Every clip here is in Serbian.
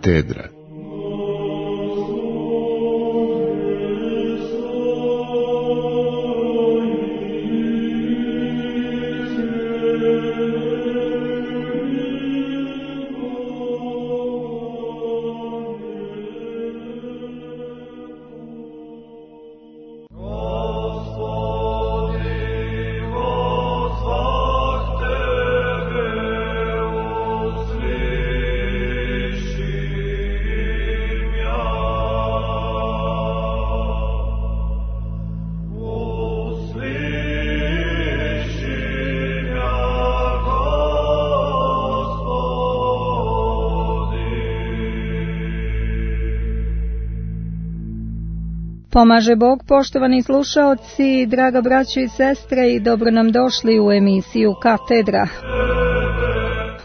Katedra. Pomaže Bog, poštovani slušaoci, draga braćo i sestre, i dobro nam došli u emisiju Katedra.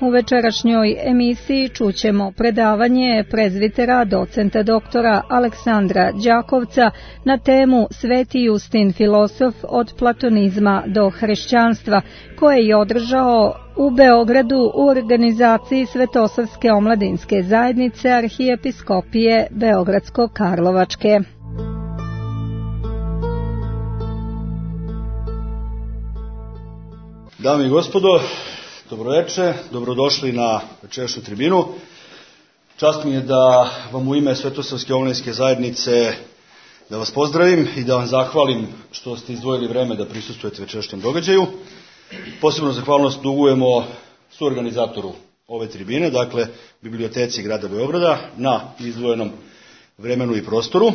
U večerašnjoj emisiji čućemo predavanje prezvitera docenta doktora Aleksandra Đakovca na temu Sveti Justin filozof od platonizma do hrišćanstva, koje je održao u Beogradu u organizaciji Svetosavske omladinske zajednice Arhijepiskopije Beogradsko-Karlovačke. Dame i gospodo, dobroveče, dobrodošli na večerašnju tribinu. Čast mi je da vam u ime Svetosavske omladinske zajednice da vas pozdravim i da vam zahvalim što ste izdvojili vreme da prisustvujete večerašnjem događaju. Posebno zahvalnost dugujemo suorganizatoru ove tribine, dakle Biblioteci grada Beograda, na izdvojenom vremenu i prostoru.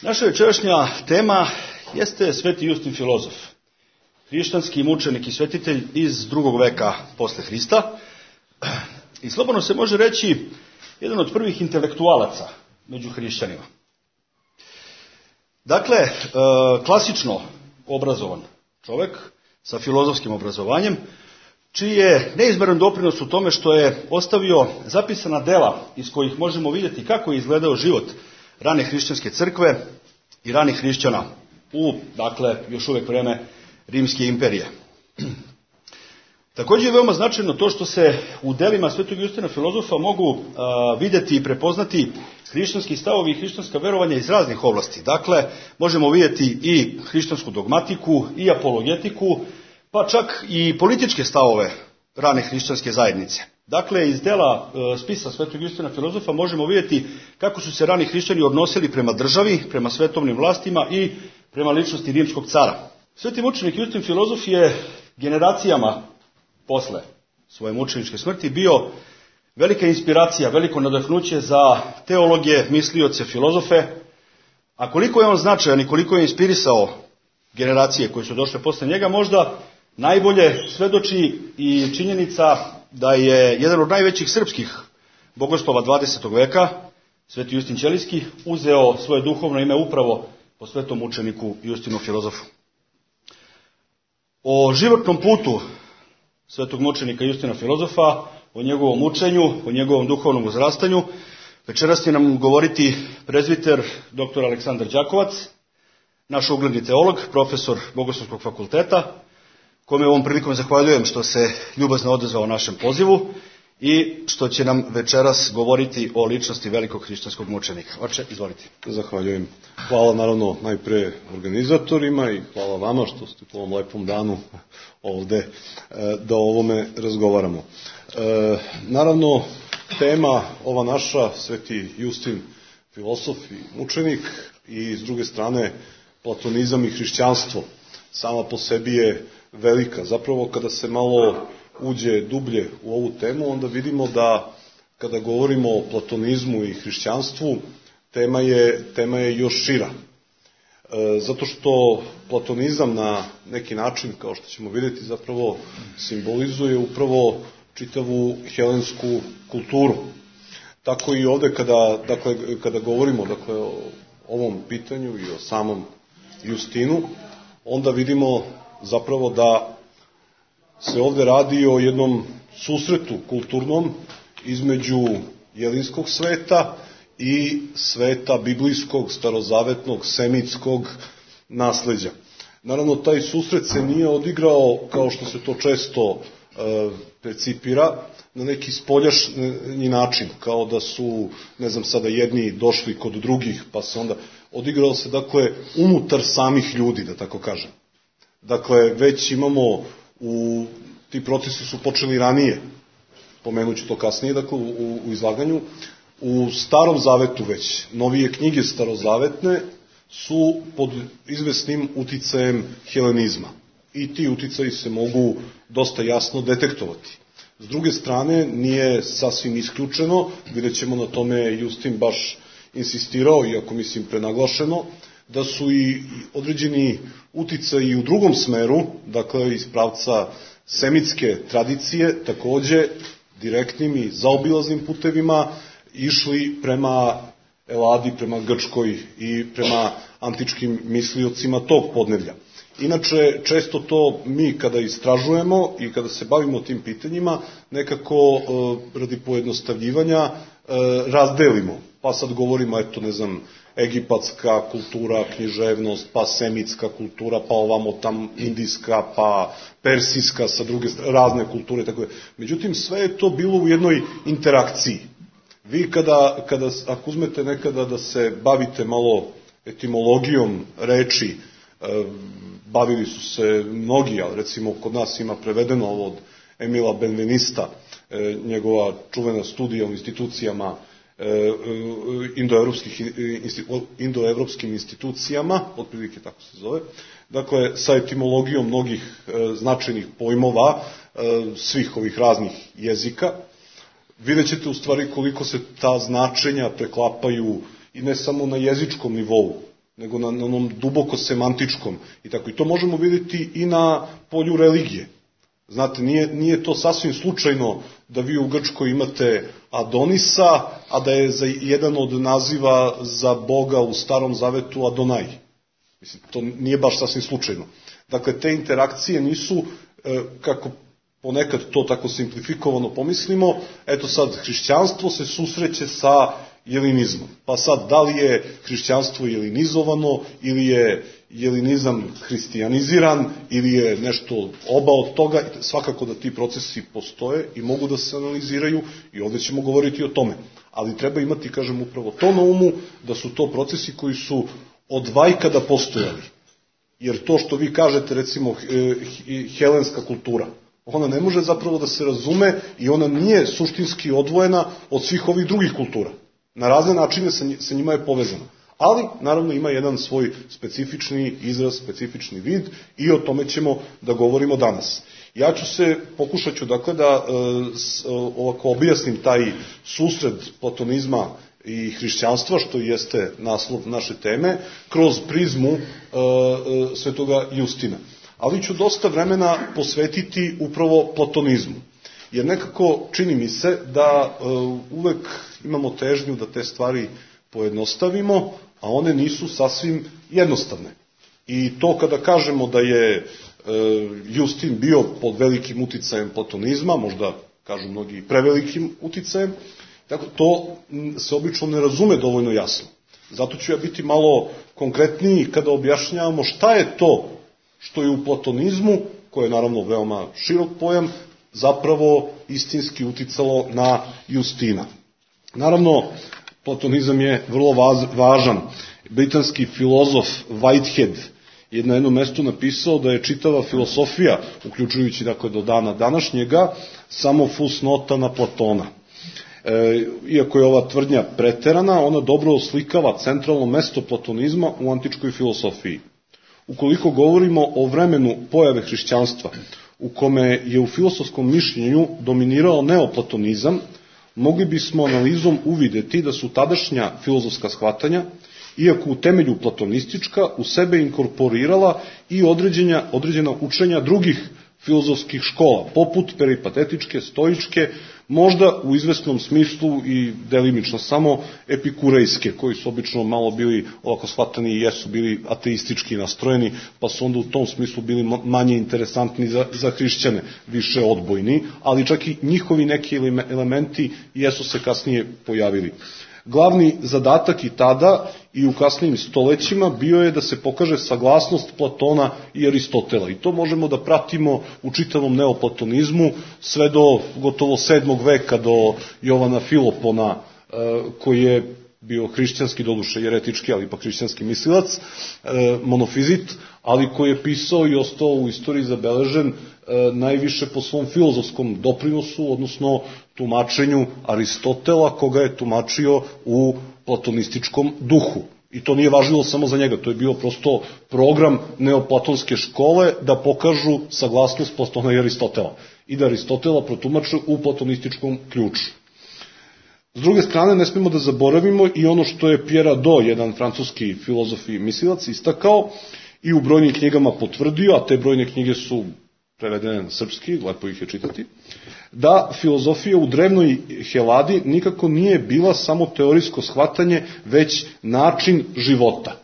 Naša večerašnja tema jeste Sveti Justin filozof, hrišćanski mučenik i svetitelj iz 2. veka posle Hrista. I slobodno se može reći jedan od prvih intelektualaca među hrišćanima. Dakle, klasično obrazovan čovek sa filozofskim obrazovanjem, čiji je neizmjeran doprinos u tome što je ostavio zapisana dela iz kojih možemo vidjeti kako je izgledao život rane hrišćanske crkve i ranih hrišćana u, dakle, još uvek vreme Rimske imperije. Također je veoma značajno to što se u delima Svetog Justina filozofa mogu vidjeti i prepoznati hrišćanski stavovi i hrišćanska verovanja iz raznih oblasti. Dakle, možemo vidjeti i hrišćansku dogmatiku, i apologetiku, pa čak i političke stavove rane hrišćanske zajednice. Dakle, iz dela spisa Svetog Justina filozofa možemo vidjeti kako su se rani hrišćani odnosili prema državi, prema svetovnim vlastima i prema ličnosti rimskog cara. Sveti mučenik Justin filozof je generacijama posle svoje mučeničke smrti bio velika inspiracija, veliko nadahnuće za teologe, mislioce, filozofe, a koliko je on značajan i koliko je inspirisao generacije koje su došle posle njega, možda najbolje svedoči i činjenica da je jedan od najvećih srpskih bogoslova 20. veka, Sveti Justin Ćelijski, uzeo svoje duhovno ime upravo po svetom mučeniku Justinu filozofu. O životnom putu svetog mučenika Justina filozofa, o njegovom učenju, o njegovom duhovnom uzrastanju, večeras će nam govoriti prezviter dr. Aleksandar Đakovac, naš ugledni teolog, profesor Bogoslovskog fakulteta, kome ovom prilikom zahvaljujem što se ljubazno odazvao našem pozivu i što će nam večeras govoriti o ličnosti velikog hrišćanskog mučenika. Oče, izvolite. Zahvaljujem. Hvala naravno najpre organizatorima i hvala vama što ste po ovom lepom danu ovde da o ovome razgovaramo. Naravno, tema ova naša, Sveti Justin filozof i mučenik, i s druge strane platonizam i hrišćanstvo, sama po sebi je velika. Zapravo, kada se malo uđe dublje u ovu temu, onda vidimo da kada govorimo o platonizmu i hrišćanstvu, tema je još šira. Zato što platonizam na neki način, kao što ćemo vidjeti, zapravo simbolizuje upravo čitavu helensku kulturu. Tako i ovde kada govorimo o ovom pitanju i o samom Justinu, onda vidimo zapravo da se ovde radi o jednom susretu kulturnom između jelinskog sveta i sveta biblijskog, starozavetnog, semitskog nasleđa. Naravno, taj susret se nije odigrao kao što se to često percipira, na neki spoljašnji način, kao da su, ne znam, sada jedni došli kod drugih, pa se onda odigralo se, dakle, unutar samih ljudi, da tako kažem. Dakle, već imamo, ti procesi su počeli ranije, pomenuću to kasnije, dakle, u izlaganju, u Starom zavetu već, novije knjige starozavetne su pod izvesnim uticajem helenizma. I ti uticaji se mogu dosta jasno detektovati. S druge strane, nije sasvim isključeno, vidjet ćemo, na tome Justin baš insistirao, iako mislim prenaglašeno, da su i određeni uticaji u drugom smeru, dakle iz pravca semitske tradicije, takođe direktnim i zaobilaznim putevima išli prema Eladi, prema Grčkoj i prema antičkim misliocima tog podneblja. Inače, često to mi kada istražujemo i kada se bavimo tim pitanjima, nekako radi pojednostavljivanja razdelimo. Pa sad govorimo, eto, ne znam, egipatska kultura, književnost, pa semitska kultura, pa ovamo tam indijska, pa persijska, sa druge razne kulture, tako je. Međutim, sve je to bilo u jednoj interakciji. Vi kada ako uzmete nekada da se bavite malo etimologijom reči, bavili su se mnogi, ali recimo kod nas ima prevedeno ovo od Emila Benvenista, njegova čuvena studija u institucijama, indoevropskim institucijama, otprilike tako se zove, dakle sa etimologijom mnogih značajnih pojmova svih ovih raznih jezika, vidjet ćete u stvari koliko se ta značenja preklapaju i ne samo na jezičkom nivou, nego na onom duboko semantičkom. I tako, i to možemo vidjeti i na polju religije. Znate, nije to sasvim slučajno da vi u Grčkoj imate Adonisa, a da je za jedan od naziva za Boga u Starom zavetu Adonaj. Mislim, to nije baš sasvim slučajno. Dakle, te interakcije nisu, kako ponekad to tako simplifikovano pomislimo, eto sad, hrišćanstvo se susreće sa jelinizmom. Pa sad, da li je hrišćanstvo jelinizovano, ili je jelinizam hristijaniziran, ili je nešto oba od toga, svakako da ti procesi postoje i mogu da se analiziraju i ovdje ćemo govoriti o tome. Ali treba imati, kažem, upravo to na umu, da su to procesi koji su od vajkada postojali. Jer to što vi kažete, recimo, helenska kultura, ona ne može zapravo da se razume i ona nije suštinski odvojena od svih ovih drugih kultura. Na razne načine sa njima je povezana. Ali, naravno, ima jedan svoj specifični izraz, specifični vid i o tome ćemo da govorimo danas. Ja pokušat ću, dakle, da ovako objasnim taj susret platonizma i hrišćanstva, što jeste naslov naše teme, kroz prizmu svetoga Justina. Ali ću dosta vremena posvetiti upravo platonizmu. Jer nekako čini mi se da uvek imamo težnju da te stvari pojednostavimo, a one nisu sasvim jednostavne. I to kada kažemo da je Justin bio pod velikim uticajem platonizma, možda kažu mnogi prevelikim uticajem, to se obično ne razume dovoljno jasno. Zato ću ja biti malo konkretniji kada objašnjavamo šta je to što je u platonizmu, koje je naravno veoma širok pojam, zapravo istinski uticalo na Justina. Naravno, platonizam je vrlo važan. Britanski filozof Whitehead je na jednom mestu napisao da je čitava filosofija, uključujući dakle do dana današnjega, samo fusnota na Platona. Iako je ova tvrdnja preterana, ona dobro oslikava centralno mesto platonizma u antičkoj filosofiji. Ukoliko govorimo o vremenu pojave hrišćanstva, u kome je u filosofskom mišljenju dominirao neoplatonizam, mogli bismo analizom uvideti da su tadašnja filozofska shvatanja, iako u temelju platonistička, u sebe inkorporirala i određena učenja drugih filozofskih škola, poput peripatetičke, stoičke, možda u izvesnom smislu i delimično samo epikurejske, koji su obično malo bili ovako shvatani i jesu bili ateistički nastrojeni, pa su onda u tom smislu bili manje interesantni za hrišćane, više odbojni, ali čak i njihovi neki elementi jesu se kasnije pojavili. Glavni zadatak i tada i u kasnijim stolećima bio je da se pokaže saglasnost Platona i Aristotela. I to možemo da pratimo u čitavom neoplatonizmu sve do gotovo 7. veka, do Jovana Filopona, koji je bio hrišćanski, doduše jeretički, ali ipak hrišćanski mislilac, monofizit, ali koji je pisao i ostao u istoriji zabeležen najviše po svom filozofskom doprinosu, odnosno tumačenju Aristotela, koga je tumačio u platonističkom duhu. I to nije važilo samo za njega, to je bio prosto program neoplatonske škole da pokažu saglasnost Platona i Aristotela i da Aristotela protumače u platonističkom ključu. S druge strane, ne smemo da zaboravimo i ono što je Pierre Hadot, jedan francuski filozof i mislilac, istakao i u brojnim knjigama potvrdio, a te brojne knjige su prevedene na srpski, lepo ih je čitati, da filozofija u drevnoj Heladi nikako nije bila samo teorijsko shvatanje, već način života.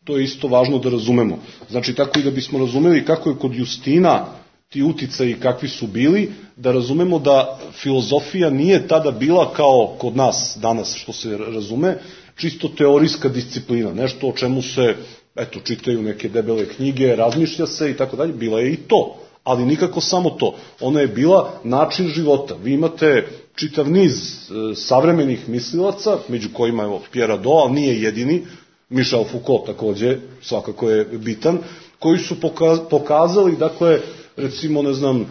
To je isto važno da razumemo. Znači, tako i da bismo razumeli kako je kod Justina ti uticaji kakvi su bili, da razumemo da filozofija nije tada bila kao kod nas danas, što se razume, čisto teorijska disciplina, nešto o čemu se, eto, čitaju neke debele knjige, razmišlja se i tako dalje, bila je i to, ali nikako samo to. Ona je bila način života. Vi imate čitav niz savremenih mislilaca, među kojima je Pierre Hadot, ali nije jedini, Michel Foucault takođe, svakako je bitan, koji su pokazali, dakle, recimo, ne znam,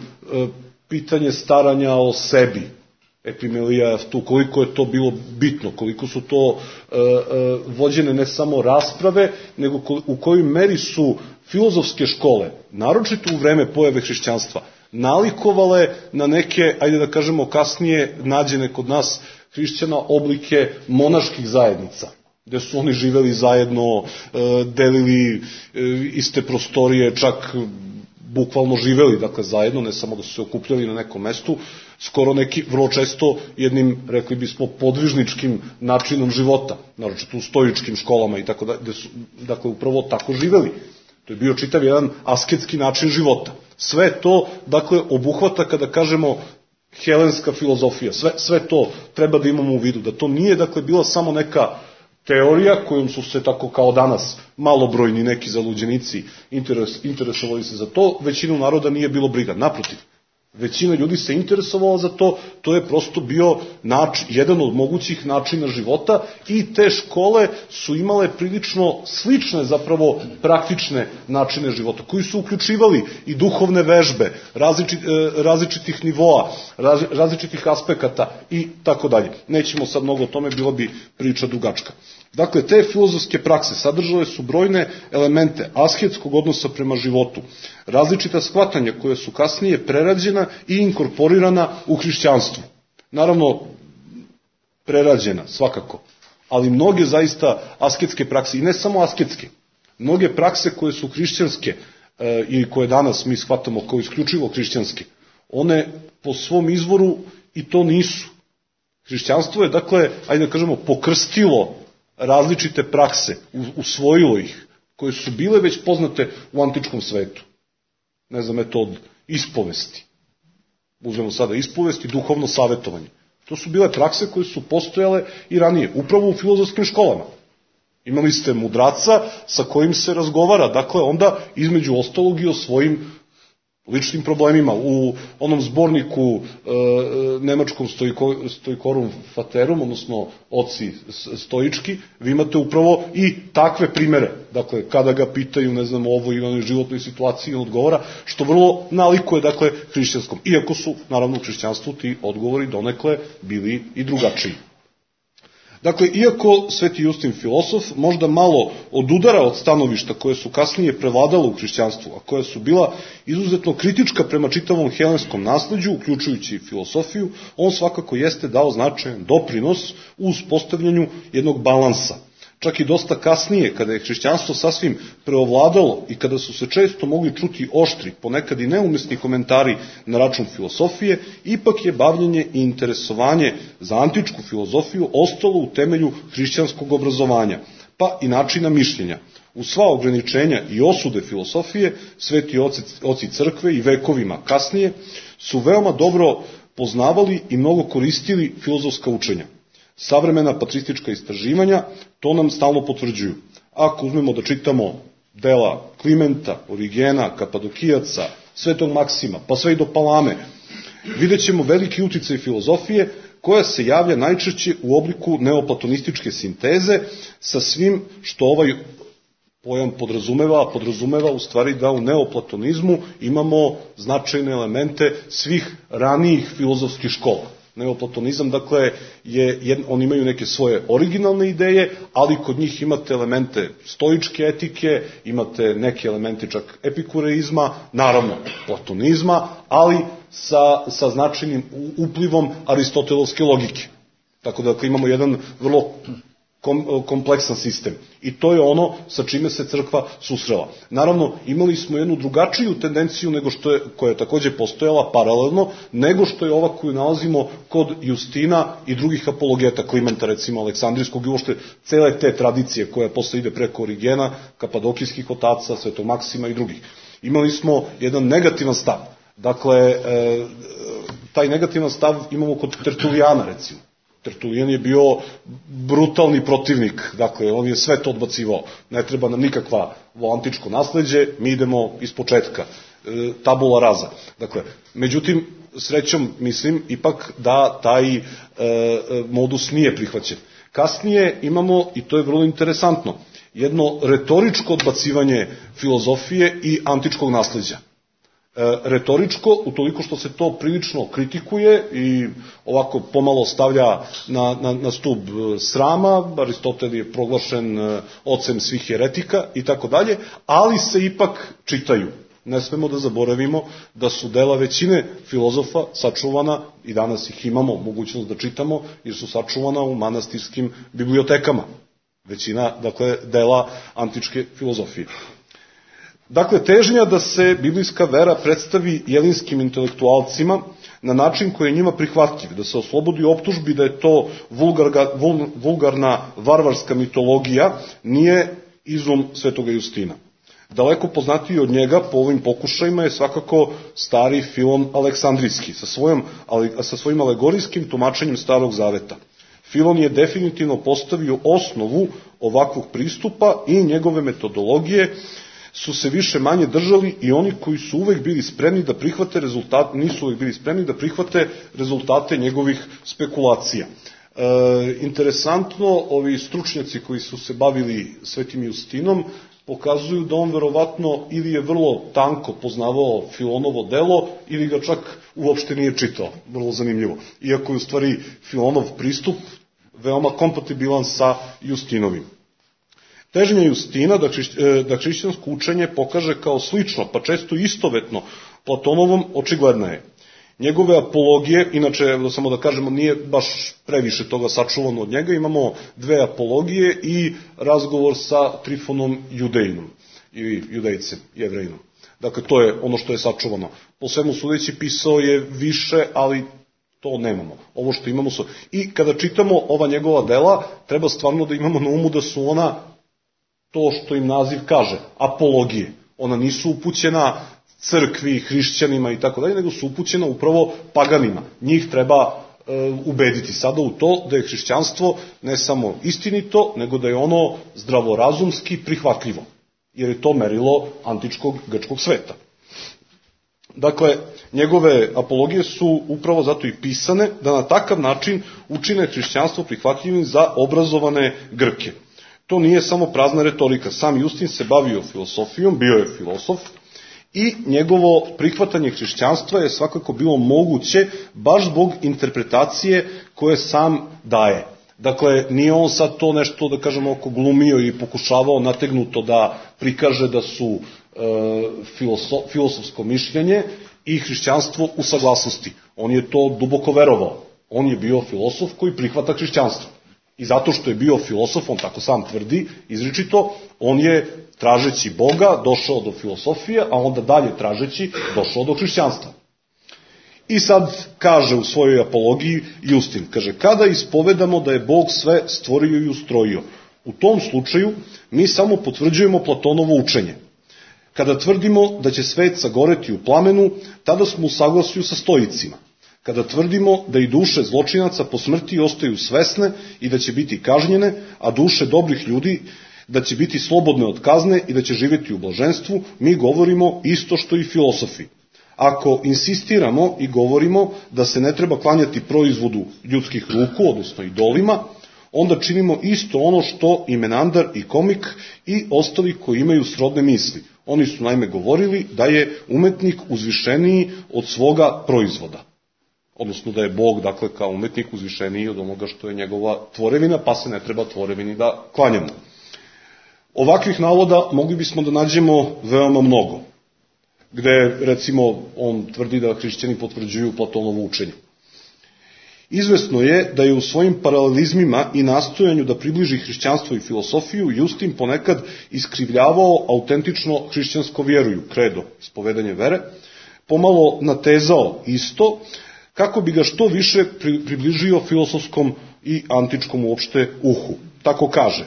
pitanje staranja o sebi, epimelija, tu, koliko je to bilo bitno, koliko su to vođene ne samo rasprave, nego u kojoj meri su filozofske škole, naročito u vreme pojave hrišćanstva, nalikovale na neke, ajde da kažemo kasnije, nađene kod nas hrišćana oblike monaških zajednica, gde su oni živeli zajedno, delili iste prostorije, čak bukvalno živeli, dakle, zajedno, ne samo da su se okupljali na nekom mestu, skoro neki, vrlo često, jednim, rekli bismo, podvižničkim načinom života, naročito u stoičkim školama i tako da, gde su, dakle, upravo tako živeli. To je bio čitav jedan asketski način života. Sve to, dakle, obuhvata, kada kažemo helenska filozofija, sve to treba da imamo u vidu, da to nije, dakle, bila samo neka teorija kojom su se tako kao danas malobrojni neki zaluđenici interesovali se za to, većinu naroda nije bilo briga. Naprotiv, većina ljudi se interesovala za to, to je prosto bio jedan od mogućih načina života i te škole su imale prilično slične, zapravo praktične načine života, koji su uključivali i duhovne vežbe, različitih nivoa, različitih aspekata i tako dalje. Nećemo sad mnogo o tome, bilo bi priča dugačka. Dakle, te filozofske prakse sadržale su brojne elemente asketskog odnosa prema životu, različita shvatanja koja su kasnije prerađena i inkorporirana u hrišćanstvu. Naravno, prerađena, svakako, ali mnoge zaista asketske prakse, i ne samo asketske, mnoge prakse koje su hrišćanske i koje danas mi shvatamo kao isključivo hrišćanske, one po svom izvoru i to nisu. Hrišćanstvo je, dakle, ajde da kažemo, pokrstilo različite prakse, usvojilo ih, koje su bile već poznate u antičkom svetu. Ne znam, eto, od ispovesti. Uzmemo sada ispovest i duhovno savjetovanje. To su bile prakse koje su postojale i ranije, upravo u filozofskim školama. Imali ste mudraca sa kojim se razgovara, dakle, onda između ostalog i o svojim ličnim problemima. U onom zborniku nemačkom Stoikorum Faterum, odnosno oci stoički, vi imate upravo i takve primere. Dakle, kada ga pitaju, ne znam, o ovoj i onoj životnoj situaciji, on odgovara, što vrlo nalikuje, dakle, hrišćanskom. Iako su, naravno, u hrišćanstvu ti odgovori donekle bili i drugačiji. Dakle, iako Sveti Justin filosof možda malo odudara od stanovišta koje su kasnije prevladale u hrišćanstvu, a koja su bila izuzetno kritička prema čitavom helenskom nasleđu, uključujući i filosofiju, on svakako jeste dao značajan doprinos u uspostavljanju jednog balansa. Čak i dosta kasnije, kada je hrišćanstvo sasvim preovladalo i kada su se često mogli čuti oštri, ponekad i neumesni komentari na račun filosofije, ipak je bavljenje i interesovanje za antičku filozofiju ostalo u temelju hrišćanskog obrazovanja, pa i načina mišljenja. U sva ograničenja i osude filosofije, sveti oci crkve i vekovima kasnije su veoma dobro poznavali i mnogo koristili filozofska učenja. Savremena patristička istraživanja to nam stalno potvrđuju. Ako uzmemo da čitamo dela Klimenta, Origena, Kapadokijaca, Svetog Maksima, pa sve i do Palame, vidjet ćemo veliki uticaj filozofije koja se javlja najčešće u obliku neoplatonističke sinteze sa svim što ovaj pojam podrazumeva, a podrazumeva u stvari da u neoplatonizmu imamo značajne elemente svih ranijih filozofskih škola. Neoplatonizam, dakle, oni imaju neke svoje originalne ideje, ali kod njih imate elemente stoičke etike, imate neke elemente čak epikureizma, naravno platonizma, ali sa značajnim uplivom aristotelovske logike. Tako da imamo jedan vrlo kompleksan sistem. I to je ono sa čime se crkva susrela. Naravno, imali smo jednu drugačiju tendenciju koja je takođe postojala paralelno, nego što je ova koju nalazimo kod Justina i drugih apologeta, Klimenta, recimo Aleksandrijskog, i uopšte cele te tradicije koja posle ide preko Origena, Kapadokijskih otaca, Svetog Maksima i drugih. Imali smo jedan negativan stav. Dakle, taj negativan stav imamo kod Tertulijana, recimo. Tertulijan je bio brutalni protivnik, dakle, on je sve to odbacivao. Ne treba nam nikakva antičko nasleđe, mi idemo iz početka, tabula rasa. Dakle, međutim, srećom, mislim, ipak da taj modus nije prihvaćen. Kasnije imamo, i to je vrlo interesantno, jedno retoričko odbacivanje filozofije i antičkog nasleđa. Retoričko, utoliko što se to prilično kritikuje i ovako pomalo stavlja na stub srama, Aristotel je proglašen ocem svih heretika i tako dalje, ali se ipak čitaju. Ne smemo da zaboravimo da su dela većine filozofa sačuvana, i danas ih imamo mogućnost da čitamo, jer su sačuvana u manastirskim bibliotekama. Većina, dakle, dela antičke filozofije. Dakle, težnja da se biblijska vera predstavi jelinskim intelektualcima na način koji je njima prihvatljiv, da se oslobodi optužbi da je to vulgarna varvarska mitologija, nije izum Svetoga Justina. Daleko poznatiji od njega po ovim pokušajima je svakako stari Filon Aleksandrijski, sa svojim alegorijskim tumačenjem Starog Zaveta. Filon je definitivno postavio osnovu ovakvog pristupa i njegove metodologije su se više manje držali i oni koji su uvek bili spremni da prihvate rezultate, nisu uvek bili spremni da prihvate rezultate njegovih spekulacija. Interesantno, ovi stručnjaci koji su se bavili Svetim Justinom pokazuju da on verovatno ili je vrlo tanko poznavao Filonovo delo ili ga čak uopšte nije čitao. Vrlo zanimljivo. Iako je u stvari Filonov pristup veoma kompatibilan sa Justinovim. Težnja Justina da hrišćansko učenje pokaže kao slično, pa često istovetno Platonovom, očigledna je. Njegove apologije, inače, samo da kažemo, nije baš previše toga sačuvano od njega, imamo 2 apologije i razgovor sa Trifonom Judejnom, ili Judejcem, Jevrejinom. Dakle, to je ono što je sačuvano. Po svemu sudeći pisao je više, ali to nemamo. Ovo što imamo su... I kada čitamo ova njegova dela, treba stvarno da imamo na umu da su ona to što im naziv kaže, apologije. Ona nisu upućena crkvi, hrišćanima i tako dalje, nego su upućena upravo paganima. Njih treba ubediti sada u to da je hrišćanstvo ne samo istinito, nego da je ono zdravorazumski prihvatljivo. Jer je to merilo antičkog grčkog sveta. Dakle, njegove apologije su upravo zato i pisane da na takav način učine hrišćanstvo prihvatljivim za obrazovane Grke. To nije samo prazna retorika. Sam Justin se bavio filosofijom, bio je filosof, i njegovo prihvatanje hrišćanstva je svakako bilo moguće baš zbog interpretacije koje sam daje. Dakle, nije on sad to nešto, da kažemo, oko glumio i pokušavao nategnuto da prikaže da su filosofsko mišljenje i hrišćanstvo u saglasnosti. On je to duboko verovao. On je bio filosof koji prihvata hrišćanstvo. I zato što je bio filosof, on tako sam tvrdi, izričito, on je, tražeći Boga, došao do filosofije, a onda dalje tražeći, došao do hrišćanstva. I sad kaže u svojoj apologiji Justin, kaže, kada ispovedamo da je Bog sve stvorio i ustrojio, u tom slučaju mi samo potvrđujemo Platonovo učenje. Kada tvrdimo da će svet sagoreti u plamenu, tada smo u saglasju sa stoicima. kada tvrdimo da i duše zločinaca po smrti ostaju svesne i da će biti kažnjene, a duše dobrih ljudi da će biti slobodne od kazne i da će živjeti u blaženstvu, mi govorimo isto što i filosofi. Ako insistiramo i govorimo da se ne treba klanjati proizvodu ljudskih ruku, odnosno idolima, onda činimo isto ono što i Menandar i Komik i ostali koji imaju srodne misli. Oni su naime govorili da je umetnik uzvišeniji od svoga proizvoda. Odnosno da je Bog, dakle, kao umetnik uzvišeniji od onoga što je njegova tvorevina, pa se ne treba tvorevini da klanjamo. Ovakvih navoda mogli bismo da nađemo veoma mnogo, gde, recimo, on tvrdi da hrišćani potvrđuju Platonovo učenje. Izvesno je da je u svojim paralelizmima i nastojanju da približi hrišćanstvo i filosofiju Justin ponekad iskrivljavao autentično hrišćansko vjeruju, kredo, ispovedanje vere, pomalo natezao isto, kako bi ga što više približio filosofskom i antičkom uopšte uhu. Tako kaže.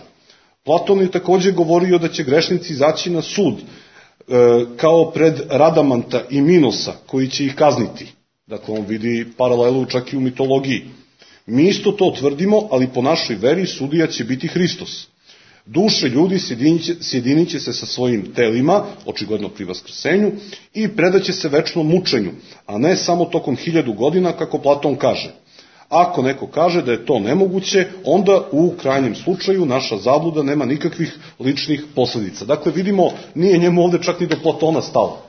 Platon je takođe govorio da će grešnici izaći na sud, kao pred Radamanta i Minosa, koji će ih kazniti. Dakle, on vidi paralelu čak i u mitologiji. Mi isto to tvrdimo, ali po našoj veri sudija će biti Hristos. Duše ljudi sjedinit će se sa svojim telima, očigledno pri vaskrsenju, i predaće se večnom mučenju, a ne samo tokom 1000 godina, kako Platon kaže. Ako neko kaže da je to nemoguće, onda u krajnjem slučaju naša zabluda nema nikakvih ličnih posledica. Dakle, vidimo, nije njemu ovde čak ni do Platona stalo.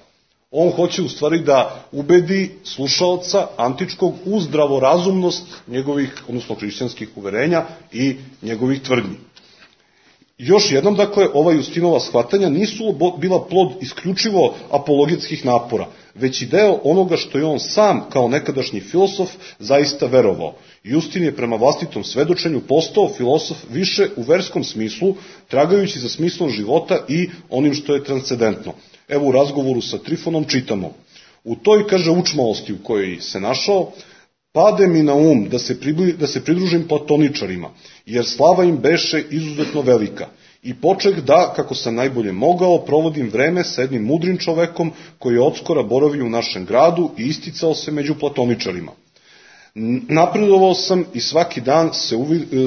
On hoće u stvari da ubedi slušaoca antičkog u zdravorazumnost njegovih, odnosno hrišćanskih uverenja i njegovih tvrdnji. Još jednom, dakle, ova Justinova shvatanja nisu bila plod isključivo apologetskih napora, već i deo onoga što je on sam, kao nekadašnji filosof, zaista verovao. Justin je prema vlastitom svedočenju postao filosof više u verskom smislu, tragajući za smislom života i onim što je transcendentno. Evo u razgovoru sa Trifonom čitamo. U toj, kaže, učmalosti u kojoj se našao, pade mi na um da se pridružim platoničarima, jer slava im beše izuzetno velika. I počeh da, kako sam najbolje mogao, provodim vreme sa jednim mudrim čovekom koji je odskora boravio u našem gradu i isticao se među platoničarima. Napredovao sam i svaki dan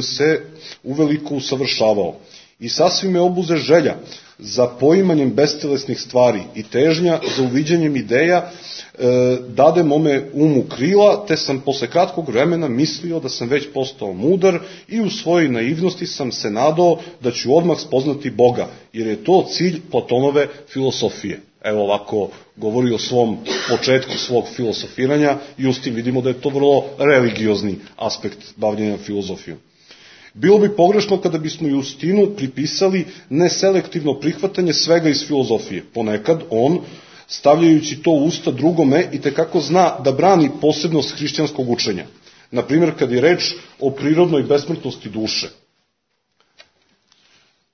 se uveliko usavršavao. I sasvim me obuze želja za poimanjem bestelesnih stvari i težnja za uviđanjem ideja dade mome umu krila, te sam posle kratkog vremena mislio da sam već postao mudar i u svojoj naivnosti sam se nadao da ću odmah spoznati Boga, jer je to cilj Platonove filosofije. Evo ovako govori o svom početku svog filosofiranja i uz tim vidimo da je to vrlo religiozni aspekt bavljenja filozofijom. Bilo bi pogrešno kada bismo Justinu pripisali neselektivno prihvatanje svega iz filozofije. Ponekad on, stavljajući to u usta drugome, i tekako zna da brani posebnost hrišćanskog učenja. Naprimjer, kad je reč o prirodnoj besmrtnosti duše.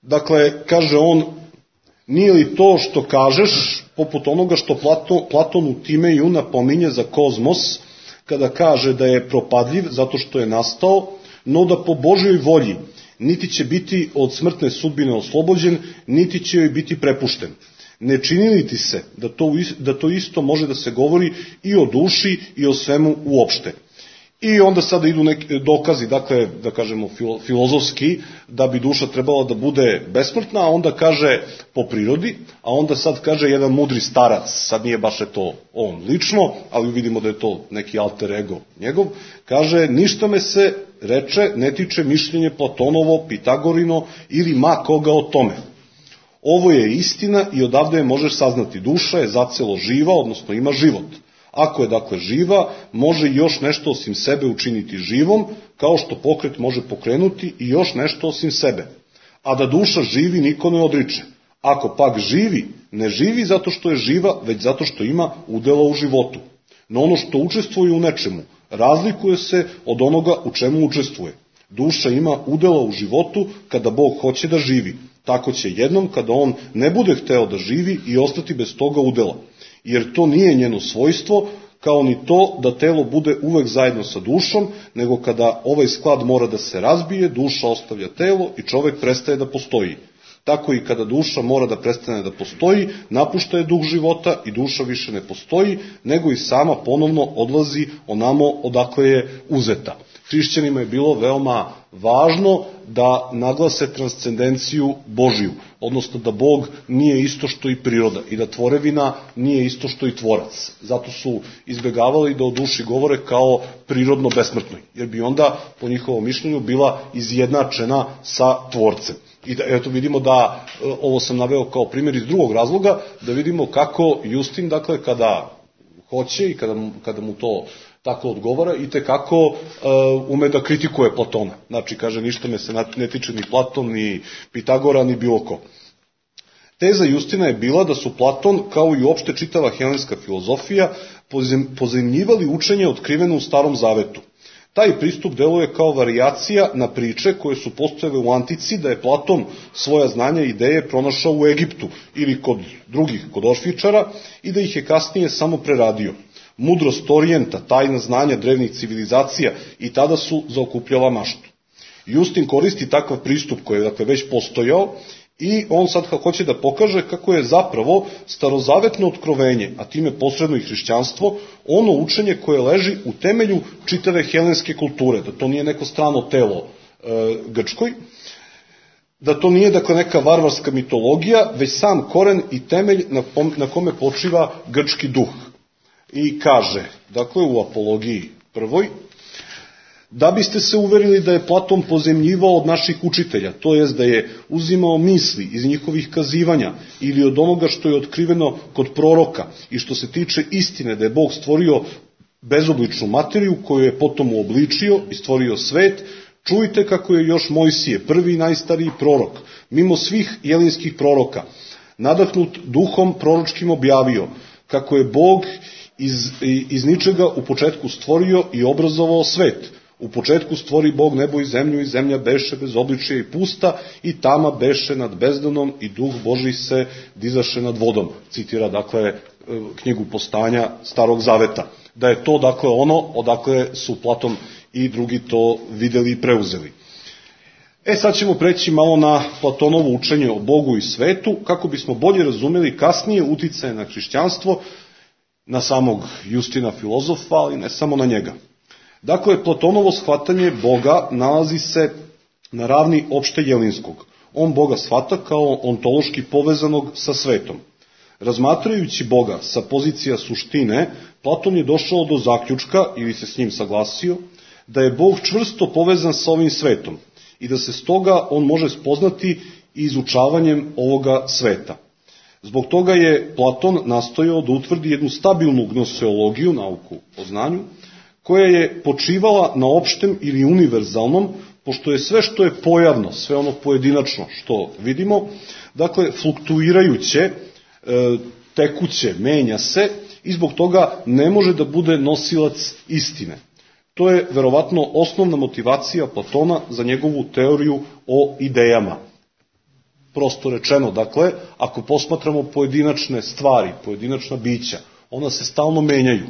Dakle, kaže on, nije li to što kažeš, poput onoga što Platon u Timeju napominje za kozmos, kada kaže da je propadljiv zato što je nastao, no da po Božjoj volji niti će biti od smrtne sudbine oslobođen, niti će joj biti prepušten. Ne čini li ti se da to isto može da se govori i o duši i o svemu uopšte? I onda sada idu neki dokazi, dakle, da kažemo filozofski, da bi duša trebala da bude besmrtna, a onda kaže po prirodi, a onda sad kaže jedan mudri starac, sad nije baš to on lično, ali vidimo da je to neki alter ego njegov, kaže, ništa me se, reče, ne tiče mišljenje Platonovo, Pitagorino ili ma koga o tome. Ovo je istina i odavde je možeš saznati, duša je zacelo živa, odnosno ima život. Ako je dakle živa, može još nešto osim sebe učiniti živom, kao što pokret može pokrenuti i još nešto osim sebe. A da duša živi niko ne odriče. Ako pak živi, ne živi zato što je živa, već zato što ima udela u životu. No ono što učestvuje u nečemu, razlikuje se od onoga u čemu učestvuje. Duša ima udela u životu kada Bog hoće da živi. Tako će jednom kada on ne bude hteo da živi i ostati bez toga udela. Jer to nije njeno svojstvo, kao ni to da telo bude uvek zajedno sa dušom, nego kada ovaj sklad mora da se razbije, duša ostavlja telo i čovek prestaje da postoji. Tako i kada duša mora da prestane da postoji, napušta je duh života i duša više ne postoji, nego i sama ponovno odlazi onamo odakle je uzeta. Hrišćanima je bilo veoma važno da naglase transcendenciju Božiju, odnosno da Bog nije isto što i priroda i da tvorevina nije isto što i tvorac. Zato su izbegavali da o duši govore kao prirodno besmrtnoj, jer bi onda, po njihovom mišljenju, bila izjednačena sa tvorcem. I da, eto vidimo da, ovo sam naveo kao primjer iz drugog razloga, da vidimo kako Justin, dakle, kada hoće i kada mu to tako odgovara, i tekako ume da kritikuje Platona. Znači, kaže, ništa me se ne tiče ni Platon, ni Pitagora, ni bilo ko. Teza Justina je bila da su Platon, kao i uopšte čitava helenska filozofija, pozemljivali učenje otkriveno u Starom Zavetu. Taj pristup deluje kao varijacija na priče koje su postojale u antici, da je Platon svoja znanja i ideje pronašao u Egiptu ili kod drugih, kod Orfičara, i da ih je kasnije samo preradio. Mudrost Orijenta, tajna znanja drevnih civilizacija i tada su zaokupljala maštu. Justin koristi takav pristup koji je, dakle, već postojao, i on sad hoće da pokaže kako je zapravo starozavetno otkrovenje, a time posredno i hrišćanstvo, ono učenje koje leži u temelju čitave helenske kulture, da to nije neko strano telo Grčkoj, da to nije, dakle, neka varvarska mitologija, već sam koren i temelj na kome počiva grčki duh. I kaže, dakle, u Apologiji prvoj, da biste se uverili da je Platon pozemljivao od naših učitelja, to jest da je uzimao misli iz njihovih kazivanja ili od onoga što je otkriveno kod proroka i što se tiče istine da je Bog stvorio bezobličnu materiju koju je potom uobličio i stvorio svet, čujte kako je još Mojsije, prvi i najstariji prorok, mimo svih jelinskih proroka, nadahnut duhom proročkim objavio, kako je Bog iz ničega u početku stvorio i obrazovao svet. U početku stvori Bog nebo i zemlja beše bez obličja i pusta, i tama beše nad bezdanom i duh Božji se dizaše nad vodom. Citira, dakle, knjigu Postanja Starog Zaveta. Da je to, dakle, ono odakle su Platon i drugi to videli i preuzeli. Sad ćemo preći malo na Platonovo učenje o Bogu i svetu, kako bismo bolje razumeli kasnije uticaje na hrišćanstvo, na samog Justina filozofa, ali ne samo na njega. Dakle, Platonovo shvatanje Boga nalazi se na ravni opšte jelinskog. On Boga shvata kao ontološki povezanog sa svetom. Razmatrajući Boga sa pozicija suštine, Platon je došao do zaključka, ili se s njim saglasio, da je Bog čvrsto povezan sa ovim svetom i da se stoga on može spoznati izučavanjem ovoga sveta. Zbog toga je Platon nastojao da utvrdi jednu stabilnu gnoseologiju, nauku o znanju, koja je počivala na opštem ili univerzalnom, pošto je sve što je pojavno, sve ono pojedinačno što vidimo, dakle, fluktuirajuće, tekuće, menja se, i zbog toga ne može da bude nosilac istine. To je verovatno osnovna motivacija Platona za njegovu teoriju o idejama. Prosto rečeno, dakle, ako posmatramo pojedinačne stvari, pojedinačna bića, ona se stalno menjaju,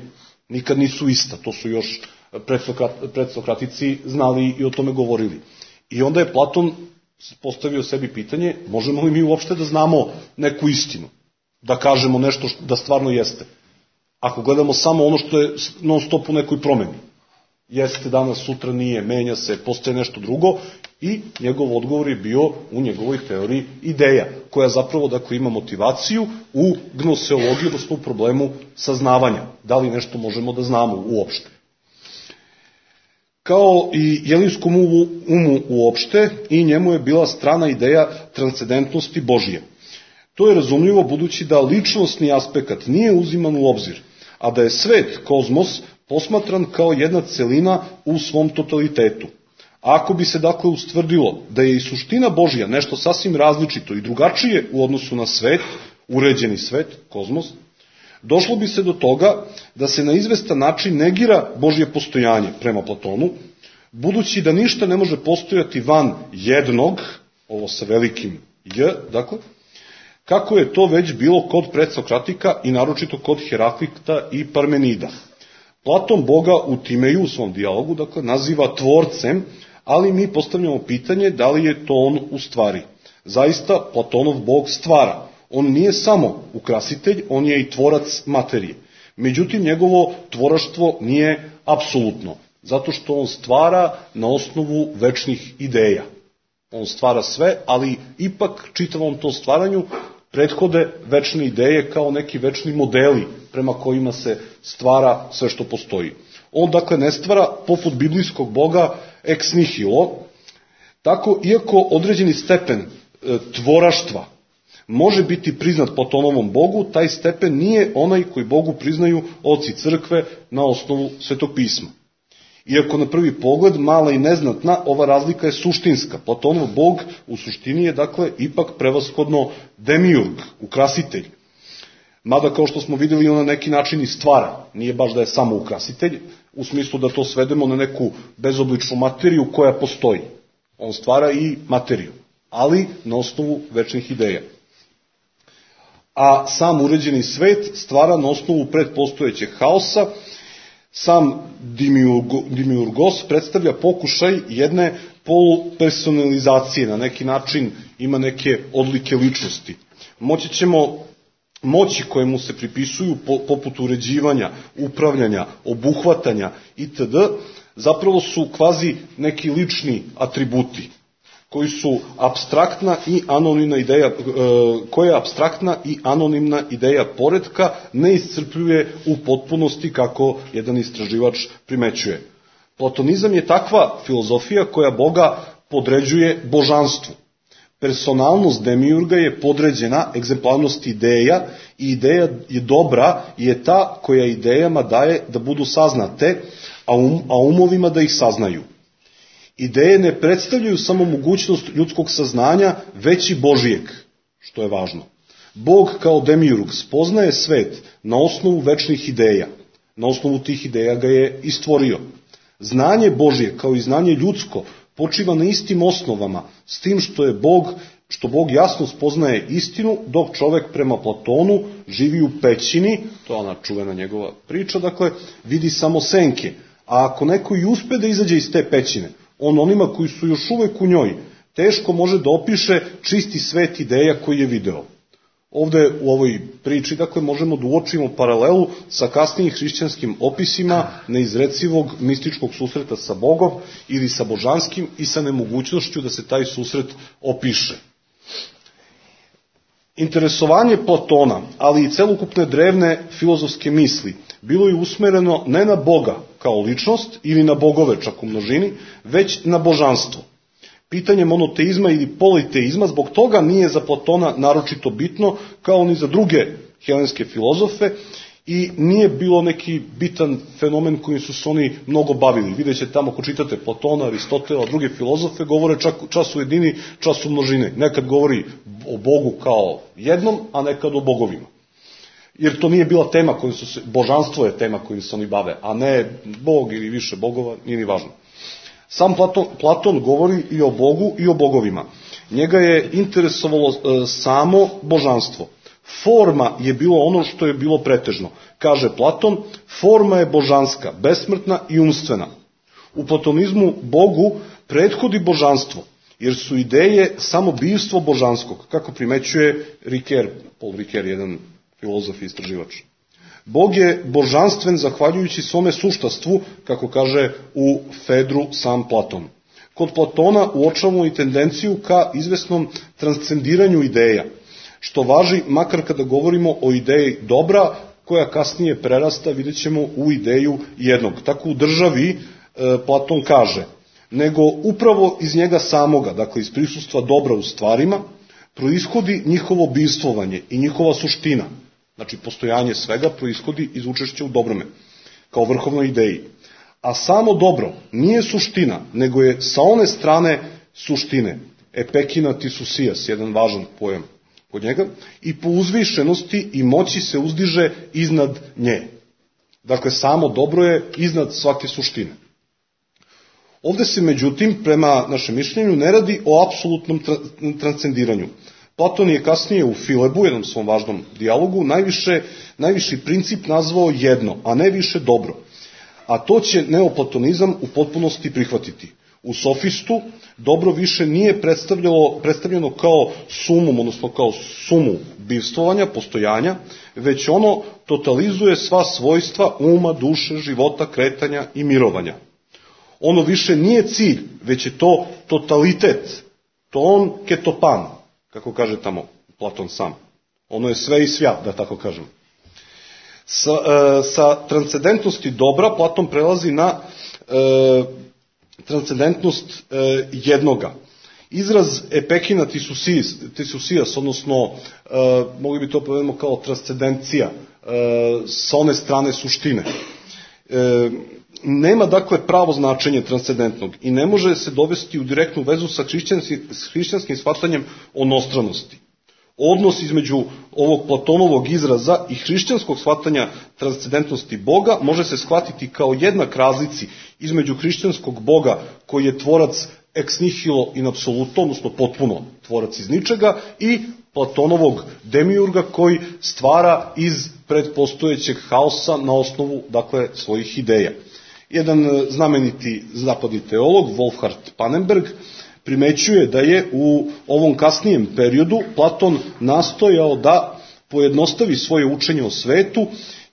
nikad nisu ista, to su još predsokratici znali i o tome govorili. I onda je Platon postavio sebi pitanje, možemo li mi uopšte da znamo neku istinu, da kažemo nešto da stvarno jeste, ako gledamo samo ono što je non stop u nekoj promeni. Jeste danas, sutra nije, menja se, postaje nešto drugo, i njegov odgovor je bio u njegovoj teoriji ideja, koja zapravo, dakle, ima motivaciju u gnoseologiji, odnosno u problemu saznavanja. Da li nešto možemo da znamo uopšte? Kao i jelinskom umu uopšte, i njemu je bila strana ideja transcendentnosti Božije. To je razumljivo budući da ličnostni aspekt nije uziman u obzir, a da je svet, kozmos, posmatran kao jedna celina u svom totalitetu. A ako bi se, dakle, ustvrdilo da je i suština Božja nešto sasvim različito i drugačije u odnosu na svet, uređeni svet, kozmos, došlo bi se do toga da se na izvestan način negira Božje postojanje prema Platonu, budući da ništa ne može postojati van jednog, ovo sa velikim J, dakle, kako je to već bilo kod predsokratika i naročito kod Heraklita i Parmenida. Platon Boga u Timeju, u svom dijalogu, dakle, naziva tvorcem, ali mi postavljamo pitanje da li je to on u stvari. Zaista, Platonov Bog stvara. On nije samo ukrasitelj, on je i tvorac materije. Međutim, njegovo tvoraštvo nije apsolutno, zato što on stvara na osnovu večnih ideja. On stvara sve, ali ipak čitavom tom stvaranju prethode večne ideje kao neki večni modeli prema kojima se stvara sve što postoji. On dakle ne stvara poput biblijskog Boga ex nihilo, tako iako određeni stepen tvoraštva može biti priznat Platonovom Bogu, taj stepen nije onaj koji Bogu priznaju oci crkve na osnovu Svetog pisma. Iako na prvi pogled mala i neznatna, ova razlika je suštinska. Platonov Bog u suštini je dakle ipak prevashodno demiurg, ukrasitelj. Mada kao što smo vidjeli on na neki način i stvara, nije baš da je samo ukrasitelj, u smislu da to svedemo na neku bezobličnu materiju koja postoji. On stvara i materiju, ali na osnovu večnih ideja. A sam uređeni svet stvara na osnovu predpostojećeg haosa. Sam demiurgos predstavlja pokušaj jedne polupersonalizacije, na neki način ima neke odlike ličnosti. Moći koje mu se pripisuju poput uređivanja, upravljanja, obuhvatanja itd. zapravo su kvazi neki lični atributi koji su apstraktna i anonimna ideja, koja apstraktna i anonimna ideja poretka ne iscrpljuje u potpunosti kako jedan istraživač primećuje. Platonizam je takva filozofija koja Boga podređuje božanstvu. Personalnost demiurga je podređena egzemplarnosti ideja i ideja je dobra i je ta koja idejama daje da budu saznate, a umovima da ih saznaju. Ideje ne predstavljaju samo mogućnost ljudskog saznanja, već i Božijeg, što je važno. Bog kao demiurg spoznaje svet na osnovu večnih ideja. Na osnovu tih ideja ga je i stvorio. Znanje Božije kao i znanje ljudsko počiva na istim osnovama, s tim što Bog jasno spoznaje istinu, dok čovek prema Platonu živi u pećini, to je ona čuvena njegova priča, dakle, vidi samo senke. A ako neko i uspe da izađe iz te pećine, on onima koji su još uvek u njoj, teško može da opiše čisti svet ideja koji je video. Ovde u ovoj priči, dakle, možemo da uočimo paralelu sa kasnijim hrišćanskim opisima neizrecivog mističkog susreta sa Bogom ili sa božanskim i sa nemogućnošću da se taj susret opiše. Interesovanje Platona, ali i celokupne drevne filozofske misli, bilo je usmereno ne na Boga kao ličnost ili na bogove čak u množini, već na božanstvo. Pitanje monoteizma ili politeizma zbog toga nije za Platona naročito bitno, kao ni za druge helenske filozofe, i nije bilo neki bitan fenomen kojim su se oni mnogo bavili. Vidjet ćete tamo ko čitate Platona, Aristotela, druge filozofe, govore čas u jedini, čas u množine. Nekad govori o Bogu kao jednom, a nekad o bogovima. Jer to nije bila tema kojim su se, božanstvo je tema kojim se oni bave, a ne Bog ili više bogova, nije ni važno. Sam Platon govori i o Bogu i o bogovima. Njega je interesovalo samo božanstvo. Forma je bilo ono što je bilo pretežno. Kaže Platon, forma je božanska, besmrtna i umstvena. U platonizmu Bogu prethodi božanstvo, jer su ideje samo bivstvo božanskog, kako primećuje Paul Ricoeur, jedan filozof i istraživač. Bog je božanstven zahvaljujući svome suštastvu, kako kaže u Fedru sam Platon. Kod Platona uočavamo i tendenciju ka izvesnom transcendiranju ideja, što važi makar kada govorimo o ideji dobra, koja kasnije prerasta, vidjet ćemo, u ideju jednog. Tako u državi Platon kaže, nego upravo iz njega samoga, dakle iz prisustva dobra u stvarima, proishodi njihovo bivstvovanje i njihova suština. Znači, postojanje svega proishodi iz učešća u dobrome, kao vrhovnoj ideji. A samo dobro nije suština, nego je sa one strane suštine, epekina tisusijas, jedan važan pojam kod njega, i po uzvišenosti i moći se uzdiže iznad nje. Dakle, samo dobro je iznad svake suštine. Ovde se, međutim, prema našem mišljenju, ne radi o apsolutnom transcendiranju. Platon je kasnije u Filebu, jednom svom važnom dijalogu, najviši princip nazvao jedno, a ne više dobro. A to će neoplatonizam u potpunosti prihvatiti. U sofistu dobro više nije predstavljeno kao sumum, odnosno kao sumu bivstvovanja, postojanja, već ono totalizuje sva svojstva uma, duše, života, kretanja i mirovanja. Ono više nije cilj, već je to totalitet, ton ketopan, kako kaže tamo Platon sam. Ono je sve i svja, da tako kažem. Sa transcendentnosti dobra Platon prelazi na transcendentnost jednoga. Izraz epekina tisusijas, odnosno mogli bi to povedemo kao transcendencija sa one strane suštine. Nema dakle pravo značenje transcendentnog i ne može se dovesti u direktnu vezu sa hrišćanskim shvatanjem onostranosti. Odnos između ovog Platonovog izraza i hrišćanskog shvatanja transcendentnosti Boga može se shvatiti kao jednak razlici između hrišćanskog Boga koji je tvorac ex nihilo in absoluto, odnosno potpuno tvorac iz ničega, i Platonovog demiurga koji stvara iz predpostojećeg haosa na osnovu, dakle, svojih ideja. Jedan znameniti zapadni teolog, Wolfhard Pannenberg, primećuje da je u ovom kasnijem periodu Platon nastojao da pojednostavi svoje učenje o svetu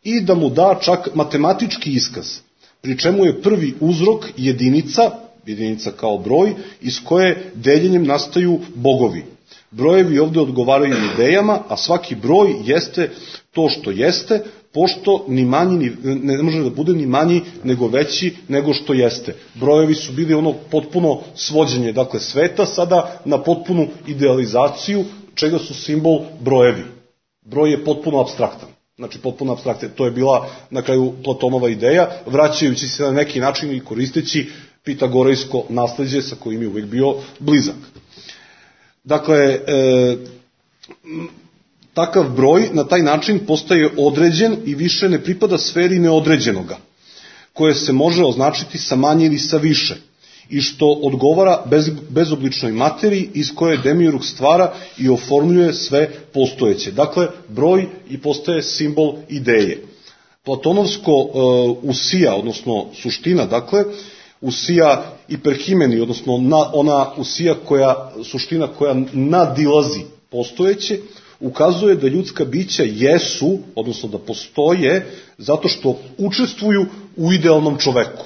i da mu da čak matematički iskaz, pri čemu je prvi uzrok jedinica kao broj, iz koje deljenjem nastaju bogovi. Brojevi ovdje odgovaraju idejama, a svaki broj jeste to što jeste, pošto ni manji, ne može da bude ni manji nego veći nego što jeste. Brojevi su bili ono potpuno svođenje, dakle, sveta, sada na potpunu idealizaciju, čega su simbol brojevi. Broj je potpuno apstraktan. Znači, potpuno apstraktan. To je bila na kraju Platonova ideja, vraćajući se na neki način i koristeći pitagorejsko nasleđe sa kojim je uvijek bio blizak. Dakle, takav broj na taj način postaje određen i više ne pripada sferi neodređenoga, koje se može označiti sa manje ili sa više, i što odgovara bezobličnoj materiji iz koje demiurg stvara i oformljuje sve postojeće. Dakle, broj i postaje simbol ideje. Platonovsko usija, odnosno suština, dakle, usija hiperhimeni, odnosno ona usija suština koja nadilazi postojeće, ukazuje da ljudska bića jesu, odnosno da postoje, zato što učestvuju u idealnom čoveku.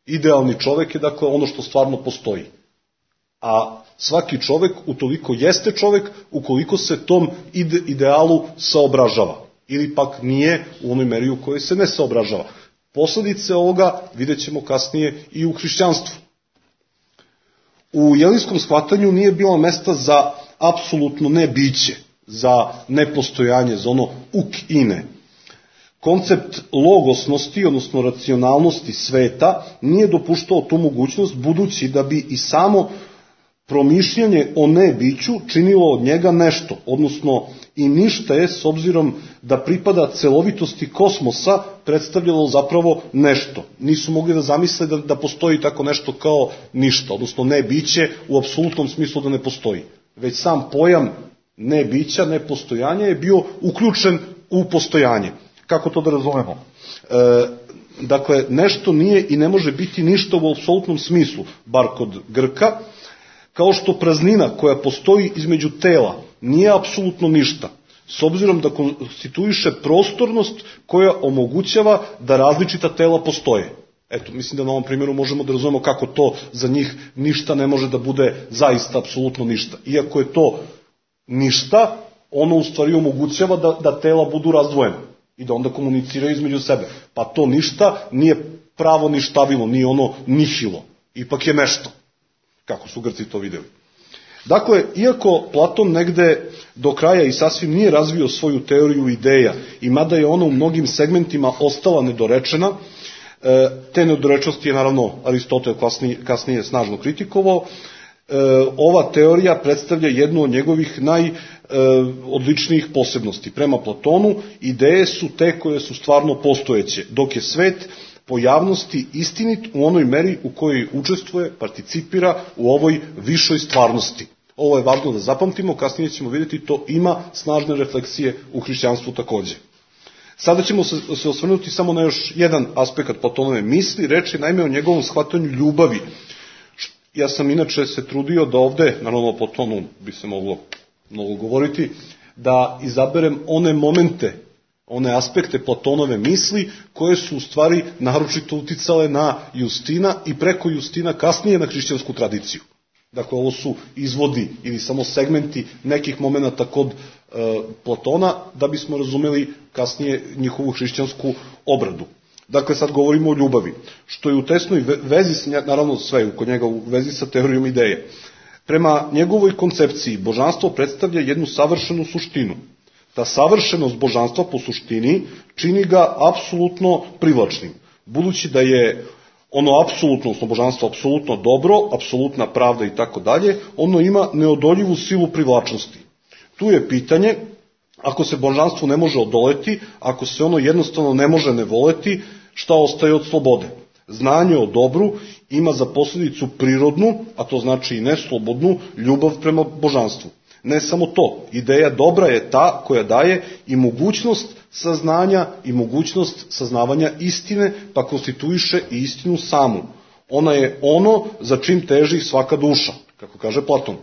Idealni čovek je, dakle, ono što stvarno postoji. A svaki čovek utoliko jeste čovek ukoliko se tom idealu saobražava. Ili pak nije u onoj meri u kojoj se ne saobražava. Posledice ovoga vidjet ćemo kasnije i u hrišćanstvu. U jelinskom shvatanju nije bilo mesta za apsolutno nebiće, za nepostojanje, za ono uk ine. Koncept logosnosti, odnosno racionalnosti sveta, nije dopuštao tu mogućnost, budući da bi i samo promišljanje o nebiću činilo od njega nešto, odnosno i ništa je, s obzirom da pripada celovitosti kosmosa, predstavljalo zapravo nešto. Nisu mogli da zamisle da postoji tako nešto kao ništa, odnosno nebiće u apsolutnom smislu da ne postoji. Već sam pojam nebića, nepostojanja je bio uključen u postojanje. Kako to da razumemo? Dakle, nešto nije i ne može biti ništa u apsolutnom smislu, bar kod Grka, kao što praznina koja postoji između tela nije apsolutno ništa, s obzirom da konstituiše prostornost koja omogućava da različita tela postoje. Eto, mislim da na ovom primjeru možemo da razumemo kako to za njih ništa ne može da bude zaista apsolutno ništa. Iako je to ništa, ono u stvari omogućava da tela budu razdvojena i da onda komuniciraju između sebe. Pa to ništa nije pravo ništavilo, nije ono nihilo. Ipak je nešto, kako su Grci to vidjeli. Dakle, iako Platon negde do kraja i sasvim nije razvio svoju teoriju ideja, i mada je ona u mnogim segmentima ostala nedorečena, te nedorečnosti je naravno Aristotel kasnije snažno kritikovao, ova teorija predstavlja jednu od njegovih najodličnijih posebnosti. Prema Platonu, ideje su te koje su stvarno postojeće, dok je svet po javnosti istinit u onoj meri u kojoj učestvuje, participira u ovoj višoj stvarnosti. Ovo je važno da zapamtimo, kasnije ćemo vidjeti, to ima snažne refleksije u hrišćanstvu takođe. Sada ćemo se osvrnuti samo na još jedan aspekt Platonove misli, reč je naime o njegovom shvatanju ljubavi. Ja sam inače se trudio da ovde, naravno o Platonu bi se moglo mnogo govoriti, da izaberem one momente, one aspekte Platonove misli koje su u stvari naročito uticale na Justina i preko Justina kasnije na hrišćansku tradiciju. Dakle, ovo su izvodi ili samo segmenti nekih momenata kod Platona da bismo razumeli kasnije njihovu hrišćansku obradu. Dakle, sad govorimo o ljubavi, što je u tesnoj vezi, naravno sve kod njega u vezi sa teorijom ideje. Prema njegovoj koncepciji, božanstvo predstavlja jednu savršenu suštinu. Ta savršenost božanstva po suštini čini ga apsolutno privlačnim, budući da je ono apsolutno, odnosno božanstvo apsolutno dobro, apsolutna pravda i tako dalje, ono ima neodoljivu silu privlačnosti. Tu je pitanje, ako se božanstvu ne može odoleti, ako se ono jednostavno ne može ne voleti, šta ostaje od slobode? Znanje o dobru ima za posljedicu prirodnu, a to znači i neslobodnu, ljubav prema božanstvu. Ne samo to, ideja dobra je ta koja daje i mogućnost saznanja i mogućnost saznavanja istine, pa konstituiše i istinu samu. Ona je ono za čim teži svaka duša, kako kaže Platon.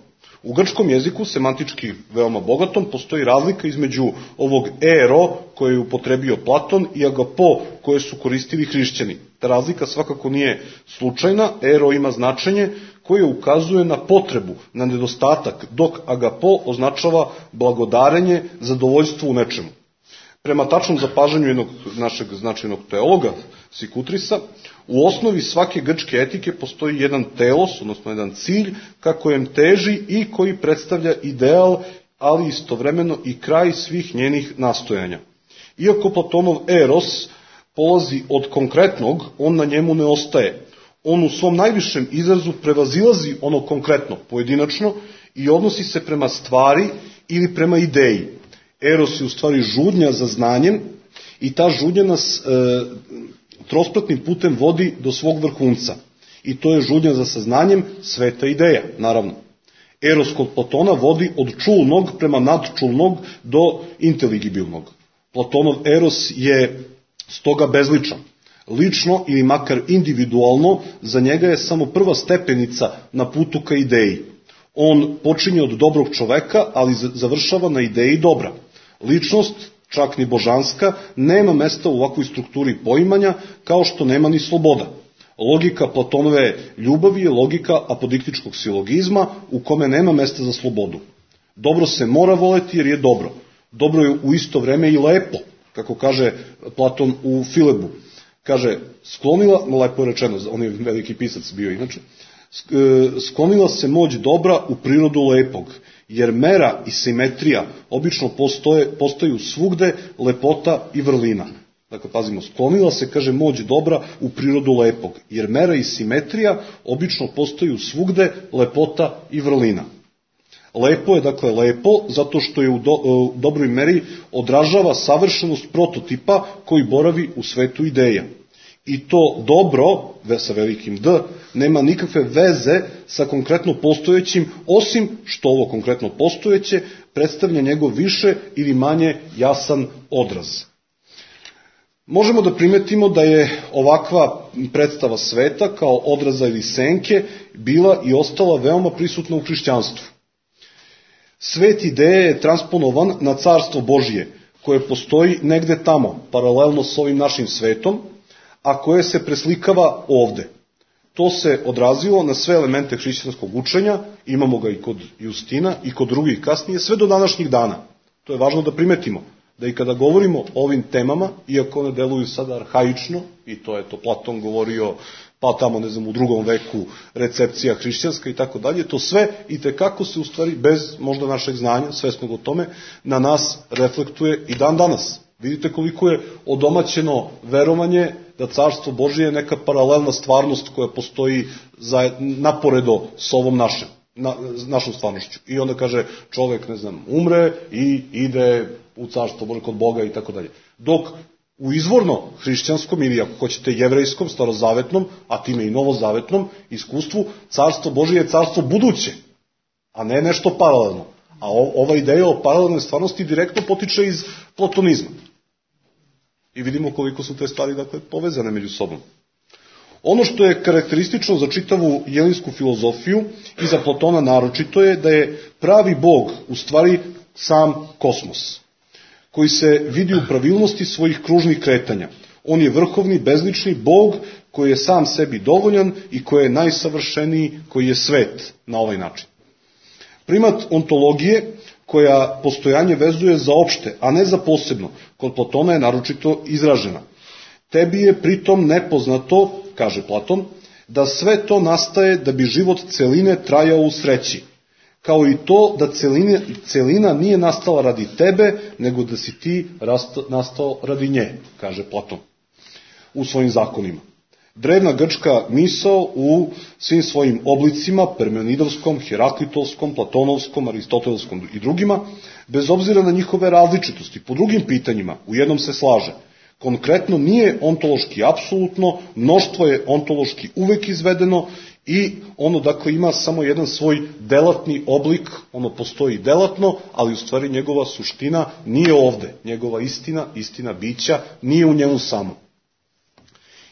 U grčkom jeziku, semantički veoma bogatom, postoji razlika između ovog ero koje je upotrebio Platon i agapo koje su koristili hrišćani. Ta razlika svakako nije slučajna, ero ima značenje koje ukazuje na potrebu, na nedostatak, dok agapo označava blagodarenje, zadovoljstvo u nečemu. Prema tačnom zapažanju jednog našeg značajnog teologa, Sikutrisa, u osnovi svake grčke etike postoji jedan telos, odnosno jedan cilj, ka kojem teži i koji predstavlja ideal, ali istovremeno i kraj svih njenih nastojanja. Iako Platonov eros polazi od konkretnog, on na njemu ne ostaje. On u svom najvišem izrazu prevazilazi ono konkretno, pojedinačno, i odnosi se prema stvari ili prema ideji. Eros je u stvari žudnja za znanjem i ta žudnja nas trospratnim putem vodi do svog vrhunca. I to je žudnja za saznanjem, sveta ideja, naravno. Eros kod Platona vodi od čulnog prema nadčulnog do inteligibilnog. Platonov eros je stoga bezličan. Lično ili makar individualno, za njega je samo prva stepenica na putu ka ideji. On počinje od dobrog čoveka, ali završava na ideji dobra. Ličnost, čak ni božanska, nema mesta u ovakvoj strukturi poimanja, kao što nema ni sloboda. Logika Platonove ljubavi je logika apodiktičkog silogizma, u kome nema mesta za slobodu. Dobro se mora voleti jer je dobro. Dobro je u isto vreme i lepo, kako kaže Platon u Filebu. Kaže, sklonila, lepo je rečeno, on je veliki pisac bio inače, sklonila se moć dobra u prirodu lepog, jer mera i simetrija obično postaju svugde lepota i vrlina. Dakle, pazimo, sklonila se, kaže, moć dobra u prirodu lepog, jer mera i simetrija obično postaju svugde lepota i vrlina. Lepo je, dakle, lepo, zato što je u dobroj meri odražava savršenost prototipa koji boravi u svetu ideja. I to dobro, sa velikim D, nema nikakve veze sa konkretno postojećim, osim što ovo konkretno postojeće predstavlja njegov više ili manje jasan odraz. Možemo da primetimo da je ovakva predstava sveta kao odraza ili senke bila i ostala veoma prisutna u hrišćanstvu. Svet ideje je transponovan na carstvo Božije, koje postoji negde tamo, paralelno s ovim našim svetom, a koje se preslikava ovde. To se odrazilo na sve elemente hrišćanskog učenja, imamo ga i kod Justina i kod drugih kasnije, sve do današnjih dana. To je važno da primetimo, da i kada govorimo o ovim temama, iako one deluju sada arhaično, i to je to Platon govorio, pa tamo, ne znam, u 2. veku recepcija hrišćanska i tako dalje, to sve i tekako se u stvari, bez možda našeg znanja, svesnog o tome, na nas reflektuje i dan danas. Vidite koliko je odomaćeno verovanje da carstvo Božije je neka paralelna stvarnost koja postoji naporedo s ovom našom stvarnošću. I onda kaže čovek, ne znam, umre i ide u carstvo Božije kod Boga i tako dalje. Dok u izvorno hrišćanskom ili ako hoćete jevrejskom, starozavetnom, a time i novozavetnom iskustvu, carstvo Božije je carstvo buduće, a ne nešto paralelno. A ova ideja o paralelnoj stvarnosti direktno potiče iz platonizma. I vidimo koliko su te stvari, dakle, povezane među sobom. Ono što je karakteristično za čitavu jelinsku filozofiju i za Platona naročito je da je pravi Bog u stvari sam kosmos, koji se vidi u pravilnosti svojih kružnih kretanja. On je vrhovni, bezlični Bog koji je sam sebi dovoljan i koji je najsavršeniji, koji je svet na ovaj način. Primat ontologije, koja postojanje vezuje za opšte, a ne za posebno, kod Platona je naročito izražena. Tebi je pritom nepoznato, kaže Platon, da sve to nastaje da bi život celine trajao u sreći, kao i to da celina nije nastala radi tebe, nego da si ti nastao radi nje, kaže Platon u svojim zakonima. Drevna grčka misao u svim svojim oblicima, Parmenidovskom, Heraklitolskom, Platonovskom, Aristotelskom i drugima, bez obzira na njihove različitosti, po drugim pitanjima, u jednom se slaže. Konkretno nije ontološki apsolutno, mnoštvo je ontološki uvek izvedeno i ono dakle ima samo jedan svoj delatni oblik, ono postoji delatno, ali u stvari njegova suština nije ovde, njegova istina bića nije u njemu samo.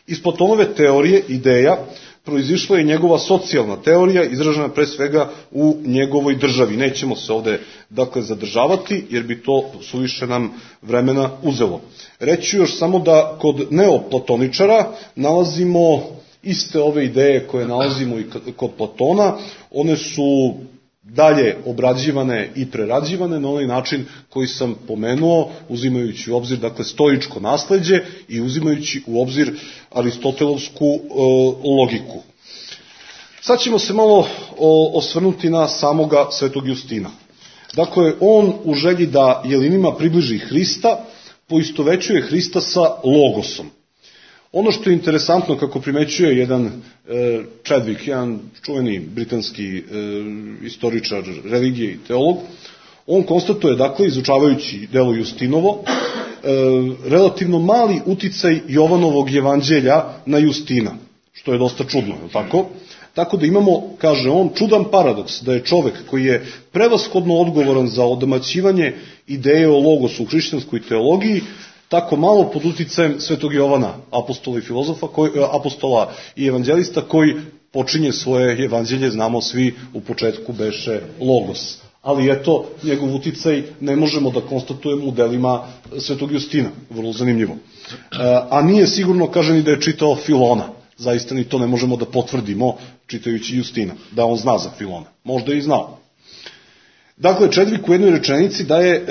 Iz Platonove teorije, ideja, proizišla je njegova socijalna teorija, izražena pre svega u njegovoj državi. Nećemo se ovde, dakle, zadržavati, jer bi to suviše nam vremena uzelo. Reći još samo da kod neoplatoničara nalazimo iste ove ideje koje nalazimo i kod Platona. One su dalje obrađivane i prerađivane na onaj način koji sam pomenuo, uzimajući u obzir, dakle, stoičko nasleđe i uzimajući u obzir aristotelovsku logiku. Sad ćemo se malo osvrnuti na samoga Svetog Justina. Dakle, on u želji da jelinima približi Hrista, poistovećuje Hrista sa logosom. Ono što je interesantno, kako primećuje jedan Chadwick, jedan čuveni britanski istoričar religije i teolog, on konstatuje, dakle, izučavajući delo Justinovo, relativno mali uticaj Jovanovog evanđelja na Justina, što je dosta čudno, tako? Tako da imamo, kaže on, čudan paradoks da je čovek koji je prevashodno odgovoran za odomaćivanje ideje o logosu u hrišćanskoj teologiji, tako malo pod uticajem Svetog Jovana, apostola i filozofa, apostola i evanđelista, koji počinje svoje evanđelje, znamo svi, u početku beše logos. Ali eto, njegov uticaj ne možemo da konstatujemo u delima Svetog Justina, vrlo zanimljivo. A nije sigurno, kaže, ni da je čitao Filona. Zaista ni to ne možemo da potvrdimo čitajući Justina, da on zna za Filona. Možda je i znao. Dakle, Chadwick u jednoj rečenici daje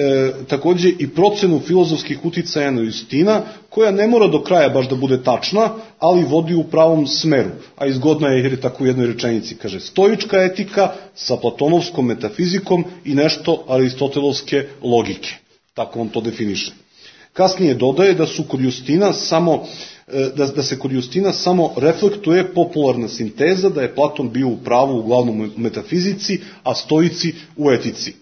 takođe i procenu filozofskih uticaja na Justina, koja ne mora do kraja baš da bude tačna, ali vodi u pravom smeru. A izgodna je jer je tako u jednoj rečenici. Kaže, stoička etika sa platonovskom metafizikom i nešto aristotelovske logike. Tako on to definiše. Kasnije dodaje da su kod Justina da se kod Justina samo reflektuje popularna sinteza, da je Platon bio u pravu uglavnom u metafizici, a stoici u etici.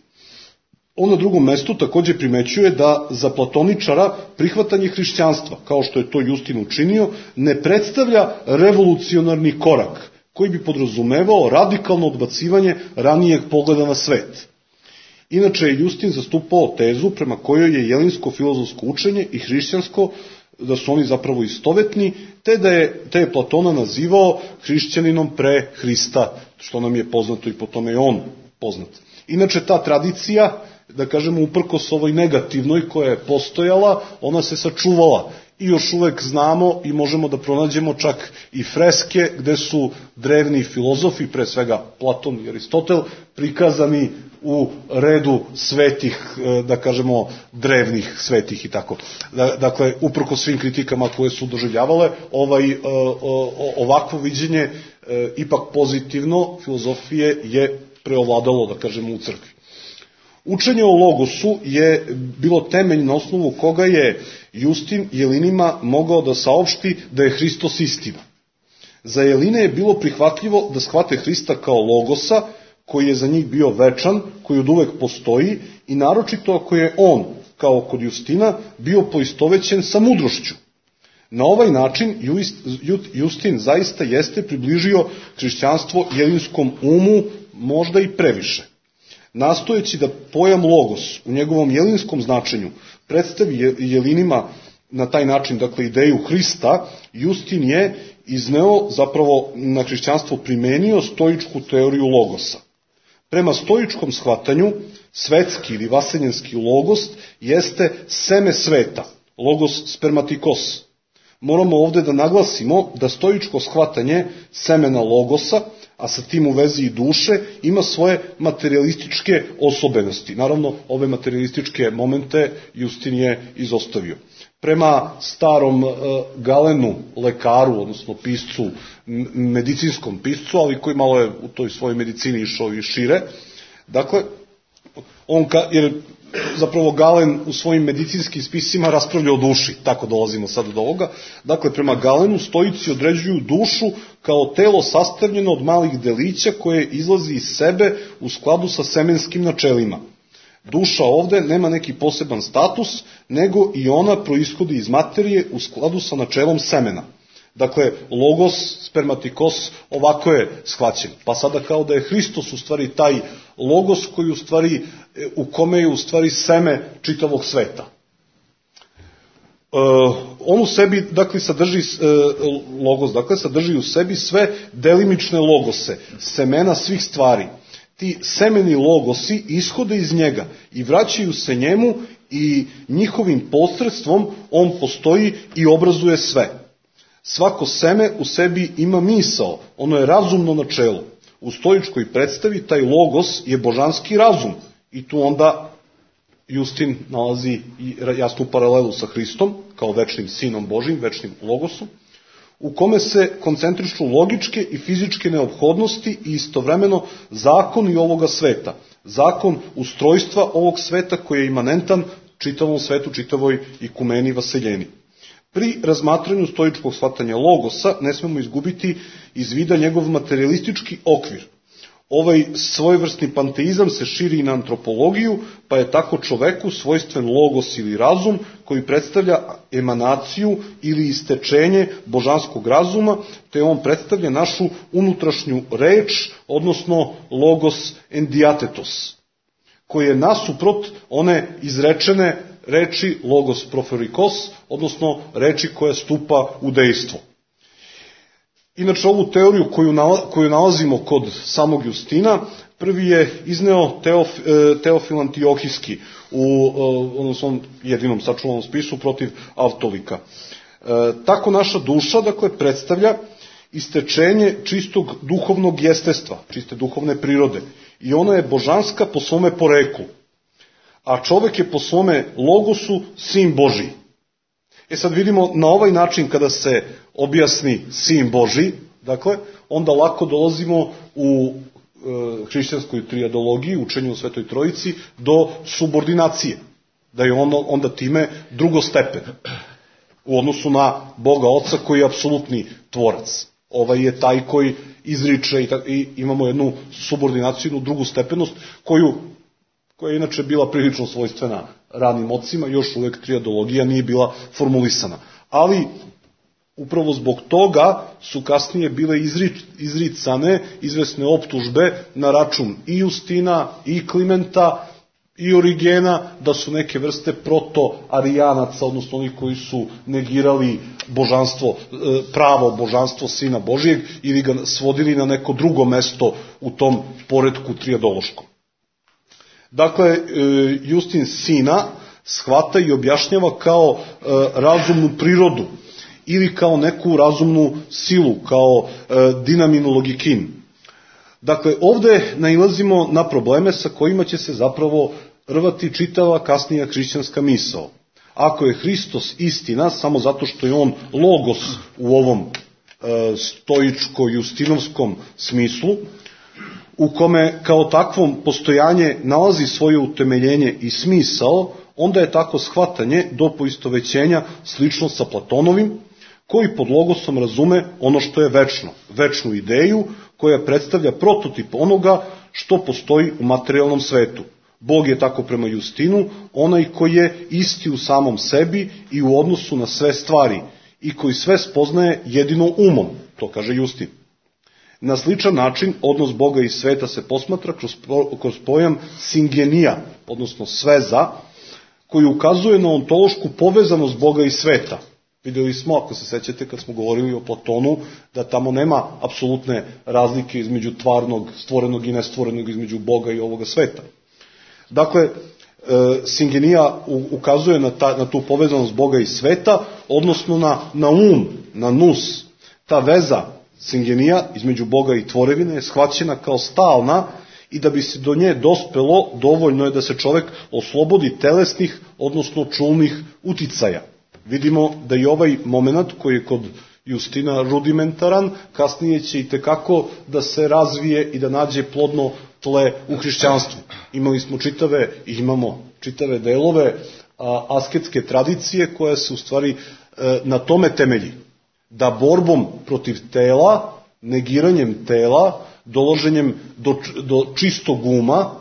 On na drugom mestu takođe primećuje da za platoničara prihvatanje hrišćanstva, kao što je to Justin učinio, ne predstavlja revolucionarni korak, koji bi podrazumevao radikalno odbacivanje ranijeg pogleda na svet. Inače je Justin zastupao tezu prema kojoj je jelinsko filozofsko učenje i hrišćansko, da su oni zapravo istovetni, te je Platona nazivao hrišćaninom pre Hrista, što nam je poznato i po tome je on poznat. Inače, ta tradicija, da kažemo, uprkos ovoj negativnoj koja je postojala, ona se sačuvala. I još uvek znamo i možemo da pronađemo čak i freske gde su drevni filozofi, pre svega Platon i Aristotel, prikazani u redu svetih, da kažemo, drevnih svetih i tako. Dakle, uprkos svim kritikama koje su doživljavale, ovakvo viđenje ipak pozitivno filozofije je preovladalo, da kažemo, u crkvi. Učenje o logosu je bilo temelj na osnovu koga je Justin jelinima mogao da saopšti da je Hristos istina. Za jeline je bilo prihvatljivo da shvate Hrista kao logosa, koji je za njih bio večan, koji od uvek postoji, i naročito ako je on, kao kod Justina, bio poistovećen sa mudrošću. Na ovaj način Justin zaista jeste približio hrišćanstvo jelinskom umu, možda i previše. Nastojeći da pojam logos u njegovom jelinskom značenju predstavi jelinima na taj način, dakle, ideju Hrista, Justin je izneo, zapravo na hrišćanstvo primenio stoičku teoriju logosa. Prema stoičkom shvatanju, svetski ili vaseljenski logos jeste seme sveta, logos spermatikos. Moramo ovde da naglasimo da stoičko shvatanje semena logosa, a sa tim u vezi i duše, ima svoje materialističke osobenosti. Naravno, ove materialističke momente Justin je izostavio. Prema starom Galenu, lekaru, odnosno piscu, medicinskom piscu, ali koji malo je u toj svojoj medicini išao i šire, dakle, jer zapravo Galen u svojim medicinskim spisima raspravlja o duši, tako dolazimo sad do ovoga. Dakle, prema Galenu stoici određuju dušu kao telo sastavljeno od malih delića koje izlazi iz sebe u skladu sa semenskim načelima. Duša ovde nema neki poseban status, nego i ona proishodi iz materije u skladu sa načelom semena. Dakle, logos, spermatikos, ovako je shvaćen. Pa sada kao da je Hristos u stvari taj logos koji u stvari, u kome je u stvari seme čitavog sveta. On u sebi, dakle, sadrži logos, dakle, sadrži u sebi sve delimične logose, semena svih stvari. Ti semeni logosi ishode iz njega i vraćaju se njemu i njihovim posredstvom on postoji i obrazuje sve. Svako seme u sebi ima misao, ono je razumno načelo. U stoičkoj predstavi taj logos je božanski razum i tu onda Justin nalazi jasnu paralelu sa Hristom kao večnim sinom Božim, večnim logosom, u kome se koncentrišu logičke i fizičke neophodnosti i istovremeno zakoni ovoga sveta, zakon ustrojstva ovog sveta koji je imanentan čitavom svetu, čitavoj ikumeni vaseljeni. Pri razmatranju stoičkog shvatanja logosa ne smemo izgubiti iz vida njegov materialistički okvir. Ovaj svojevrsni panteizam se širi i na antropologiju, pa je tako čoveku svojstven logos ili razum koji predstavlja emanaciju ili istečenje božanskog razuma, te on predstavlja našu unutrašnju reč, odnosno logos endiatetos, koji je nasuprot one izrečene reči logos proferikos, odnosno reči koja stupa u dejstvo. Inače, ovu teoriju koju nalazimo kod samog Justina, prvi je izneo Teofil Antiohijski u svom jedinom sačuvanom spisu protiv Avtolika. Tako naša duša, dakle, predstavlja istečenje čistog duhovnog jestestva, čiste duhovne prirode, i ona je božanska po svome poreklu, a čovek je po svome logosu sin Božiji. Sad vidimo, na ovaj način kada se objasni sin Božji, dakle, onda lako dolazimo u hrišćanskoj trijadologiji, učenju o Svetoj Trojici, do subordinacije, da je onda time drugostepen u odnosu na Boga Oca koji je apsolutni tvorac. Ovaj je taj koji izriče i imamo jednu subordinaciju, jednu drugu stepenost koja je inače bila prilično svojstvena ranim ocima, još uvek trijadologija nije bila formulisana. Ali upravo zbog toga su kasnije bile izricane izvesne optužbe na račun i Justina, i Klimenta, i Origena, da su neke vrste proto-arijanaca, odnosno oni koji su negirali božanstvo, pravo božanstvo Sina Božijeg ili ga svodili na neko drugo mesto u tom poretku trijadološkom. Dakle, Justin Sina shvata i objašnjava kao razumnu prirodu ili kao neku razumnu silu, kao dinaminu logikin. Dakle, ovde nailazimo na probleme sa kojima će se zapravo rvati čitava kasnija hrišćanska misao. Ako je Hristos istina, samo zato što je on logos u ovom stoičko-justinovskom smislu, u kome kao takvom postojanje nalazi svoje utemeljenje i smisao, onda je tako shvatanje do poistovećenja slično sa Platonovim, koji pod logosom razume ono što je večno, večnu ideju koja predstavlja prototip onoga što postoji u materijalnom svetu. Bog je tako prema Justinu onaj koji je isti u samom sebi i u odnosu na sve stvari i koji sve spoznaje jedino umom, to kaže Justin. Na sličan način odnos Boga i sveta se posmatra kroz pojam singenija, odnosno sveza, koji ukazuje na ontološku povezanost Boga i sveta. Vidjeli smo, ako se sećate, kad smo govorili o Platonu, da tamo nema apsolutne razlike između tvarnog, stvorenog i nestvorenog, između Boga i ovoga sveta. Dakle, singenija ukazuje na tu povezanost Boga i sveta, odnosno na na nous. Ta veza singenija između Boga i tvorevine je shvaćena kao stalna i da bi se do nje dospelo, dovoljno je da se čovek oslobodi telesnih, odnosno čulnih uticaja. Vidimo da i ovaj moment koji je kod Justina rudimentaran, kasnije će i tekako da se razvije i da nađe plodno tle u hrišćanstvu. Imamo čitave delove asketske tradicije koja se u stvari na tome temelji. Da borbom protiv tela, negiranjem tela, dolaženjem do čistog uma,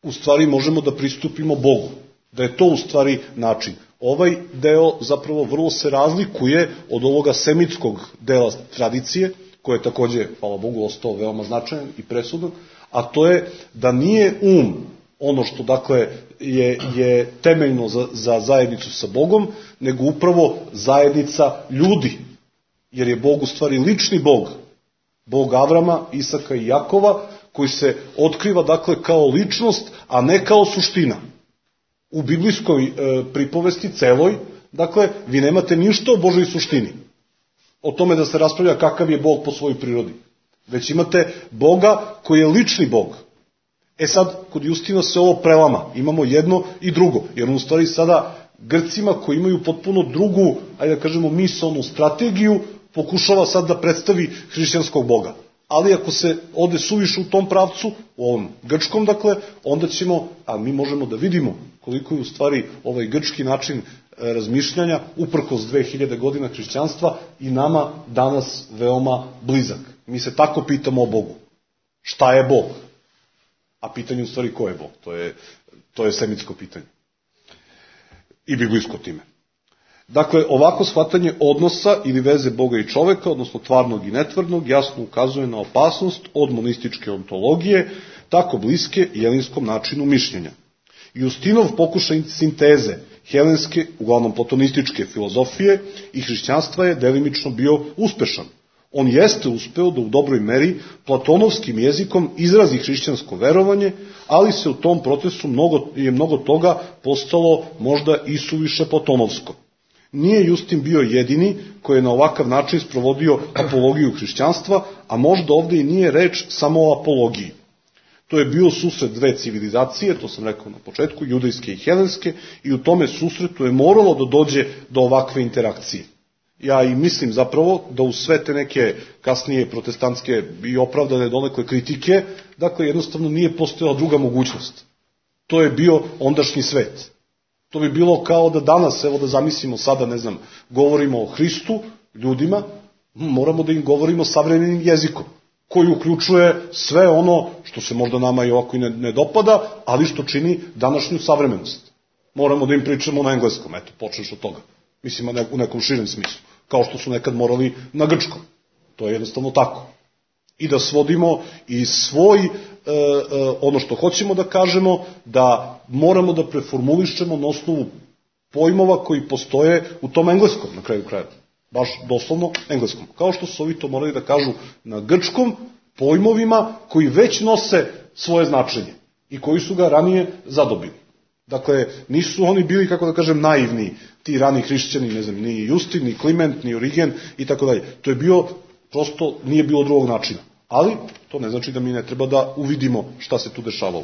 u stvari možemo da pristupimo Bogu. Da je to u stvari način. Ovaj deo zapravo vrlo se razlikuje od ovoga semitskog dela tradicije, koji je takođe, hvala Bogu, ostao veoma značajan i presudan, a to je da nije ono što dakle je temeljno za zajednicu sa Bogom, nego upravo zajednica ljudi, jer je Bog u stvari lični Bog, Bog Avrama, Isaka i Jakova, koji se otkriva dakle kao ličnost, a ne kao suština. U biblijskoj pripovesti celoj, dakle, vi nemate ništa o Božoj suštini, o tome da se raspravlja kakav je Bog po svojoj prirodi, već imate Boga koji je lični Bog. Sad, kod Justina se ovo prelama, imamo jedno i drugo, jer u stvari sada Grcima koji imaju potpuno drugu, ajde da kažemo, misaonu strategiju, pokušava sad da predstavi hrišćanskog Boga. Ali ako se ode suviše u tom pravcu, u ovom grčkom, dakle, onda ćemo, a mi možemo da vidimo koliko je u stvari ovaj grčki način razmišljanja, uprkos 2000 godina hrišćanstva, i nama danas veoma blizak. Mi se tako pitamo o Bogu. Šta je Bog? A pitanje u stvari ko je Bog? To je semitsko pitanje. I biblijsko time. Dakle, ovako shvatanje odnosa ili veze Boga i čoveka, odnosno tvarnog i netvarnog, jasno ukazuje na opasnost od monističke ontologije, tako bliske jelinskom načinu mišljenja. Justinov pokušaj sinteze helenske, uglavnom platonističke filozofije i hrišćanstva je delimično bio uspešan. On jeste uspeo da u dobroj meri platonovskim jezikom izrazi hrišćansko verovanje, ali se u tom procesu mnogo toga postalo možda i suviše platonovsko. Nije Justin bio jedini koji je na ovakav način sprovodio apologiju hrišćanstva, a možda ovde i nije reč samo o apologiji. To je bio susret dve civilizacije, to sam rekao na početku, judejske i helenske, i u tome susretu je moralo da dođe do ovakve interakcije. Ja i mislim zapravo da u sve te neke kasnije protestantske i opravdane donekle kritike, dakle jednostavno nije postojala druga mogućnost. To je bio ondašnji svet. To bi bilo kao da danas, evo da zamislimo sada, ne znam, govorimo o Hristu ljudima, moramo da im govorimo savremenim jezikom, koji uključuje sve ono što se možda nama i ovako i ne dopada, ali što čini današnju savremenost. Moramo da im pričamo na engleskom, eto, počneš od toga. Mislim, u nekom širem smislu, kao što su nekad morali na grčkom. To je jednostavno tako. I da svodimo i svoj, ono što hoćemo da kažemo, da moramo da preformulišemo na osnovu pojmova koji postoje u tom engleskom, na kraju kraja. Baš doslovno engleskom. Kao što su ovi to morali da kažu na grčkom pojmovima koji već nose svoje značenje i koji su ga ranije zadobili. Dakle, nisu oni bili, kako da kažem, naivni, ti rani hrišćani, ne znam, ni Justin, ni Kliment, ni Origen i tako dalje. To je bio, prosto nije bilo drugog načina. Ali, to ne znači da mi ne treba da uvidimo šta se tu dešavalo.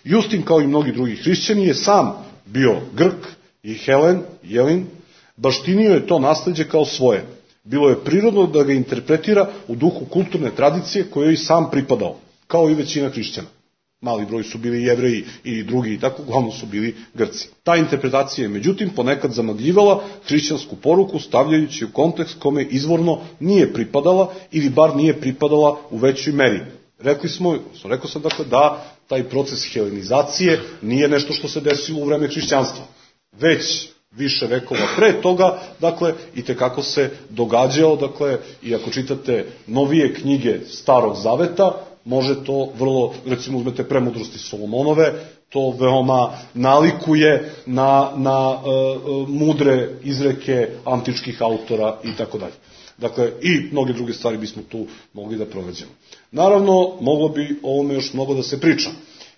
Justin, kao i mnogi drugi hrišćani, je sam bio Grk i Jelin, baštinio je to nasleđe kao svoje. Bilo je prirodno da ga interpretira u duhu kulturne tradicije kojoj i sam pripadao, kao i većina hrišćana. Mali broj su bili Jevreji i drugi i tako, uglavnom su bili Grci. Ta interpretacija je, međutim, ponekad zamagljivala hrišćansku poruku, stavljajući u kontekst kome izvorno nije pripadala ili bar nije pripadala u većoj meri. Rekao sam dakle da taj proces helenizacije nije nešto što se desilo u vreme hrišćanstva, već više vekova pre toga, dakle, i tekako se događao, dakle, i ako čitate novije knjige Starog Zaveta, može to vrlo, recimo uzmete Premudrosti Solomonove, to veoma nalikuje na mudre izreke antičkih autora i tako dalje. Dakle, i mnoge druge stvari bismo tu mogli da pronađemo. Naravno, moglo bi ovome još mnogo da se priča.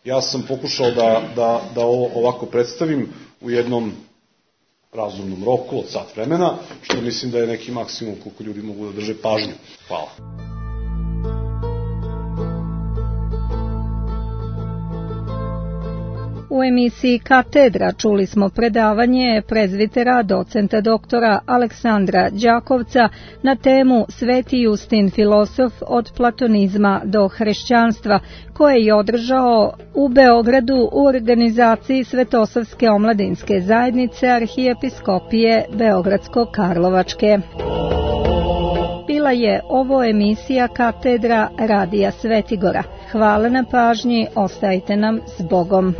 Ja sam pokušao da ovo ovako predstavim u jednom razumnom roku od sat vremena, što mislim da je neki maksimum koliko ljudi mogu da drže pažnju. Hvala. U emisiji Katedra čuli smo predavanje prezvitera docenta doktora Aleksandra Đakovca na temu Sveti Justin filosof od platonizma do hrišćanstva, koje je održao u Beogradu u organizaciji Svetosavske omladinske zajednice Arhijepiskopije Beogradsko-Karlovačke. Bila je ovo emisija Katedra Radija Svetigora. Hvala na pažnji, ostajte nam s Bogom.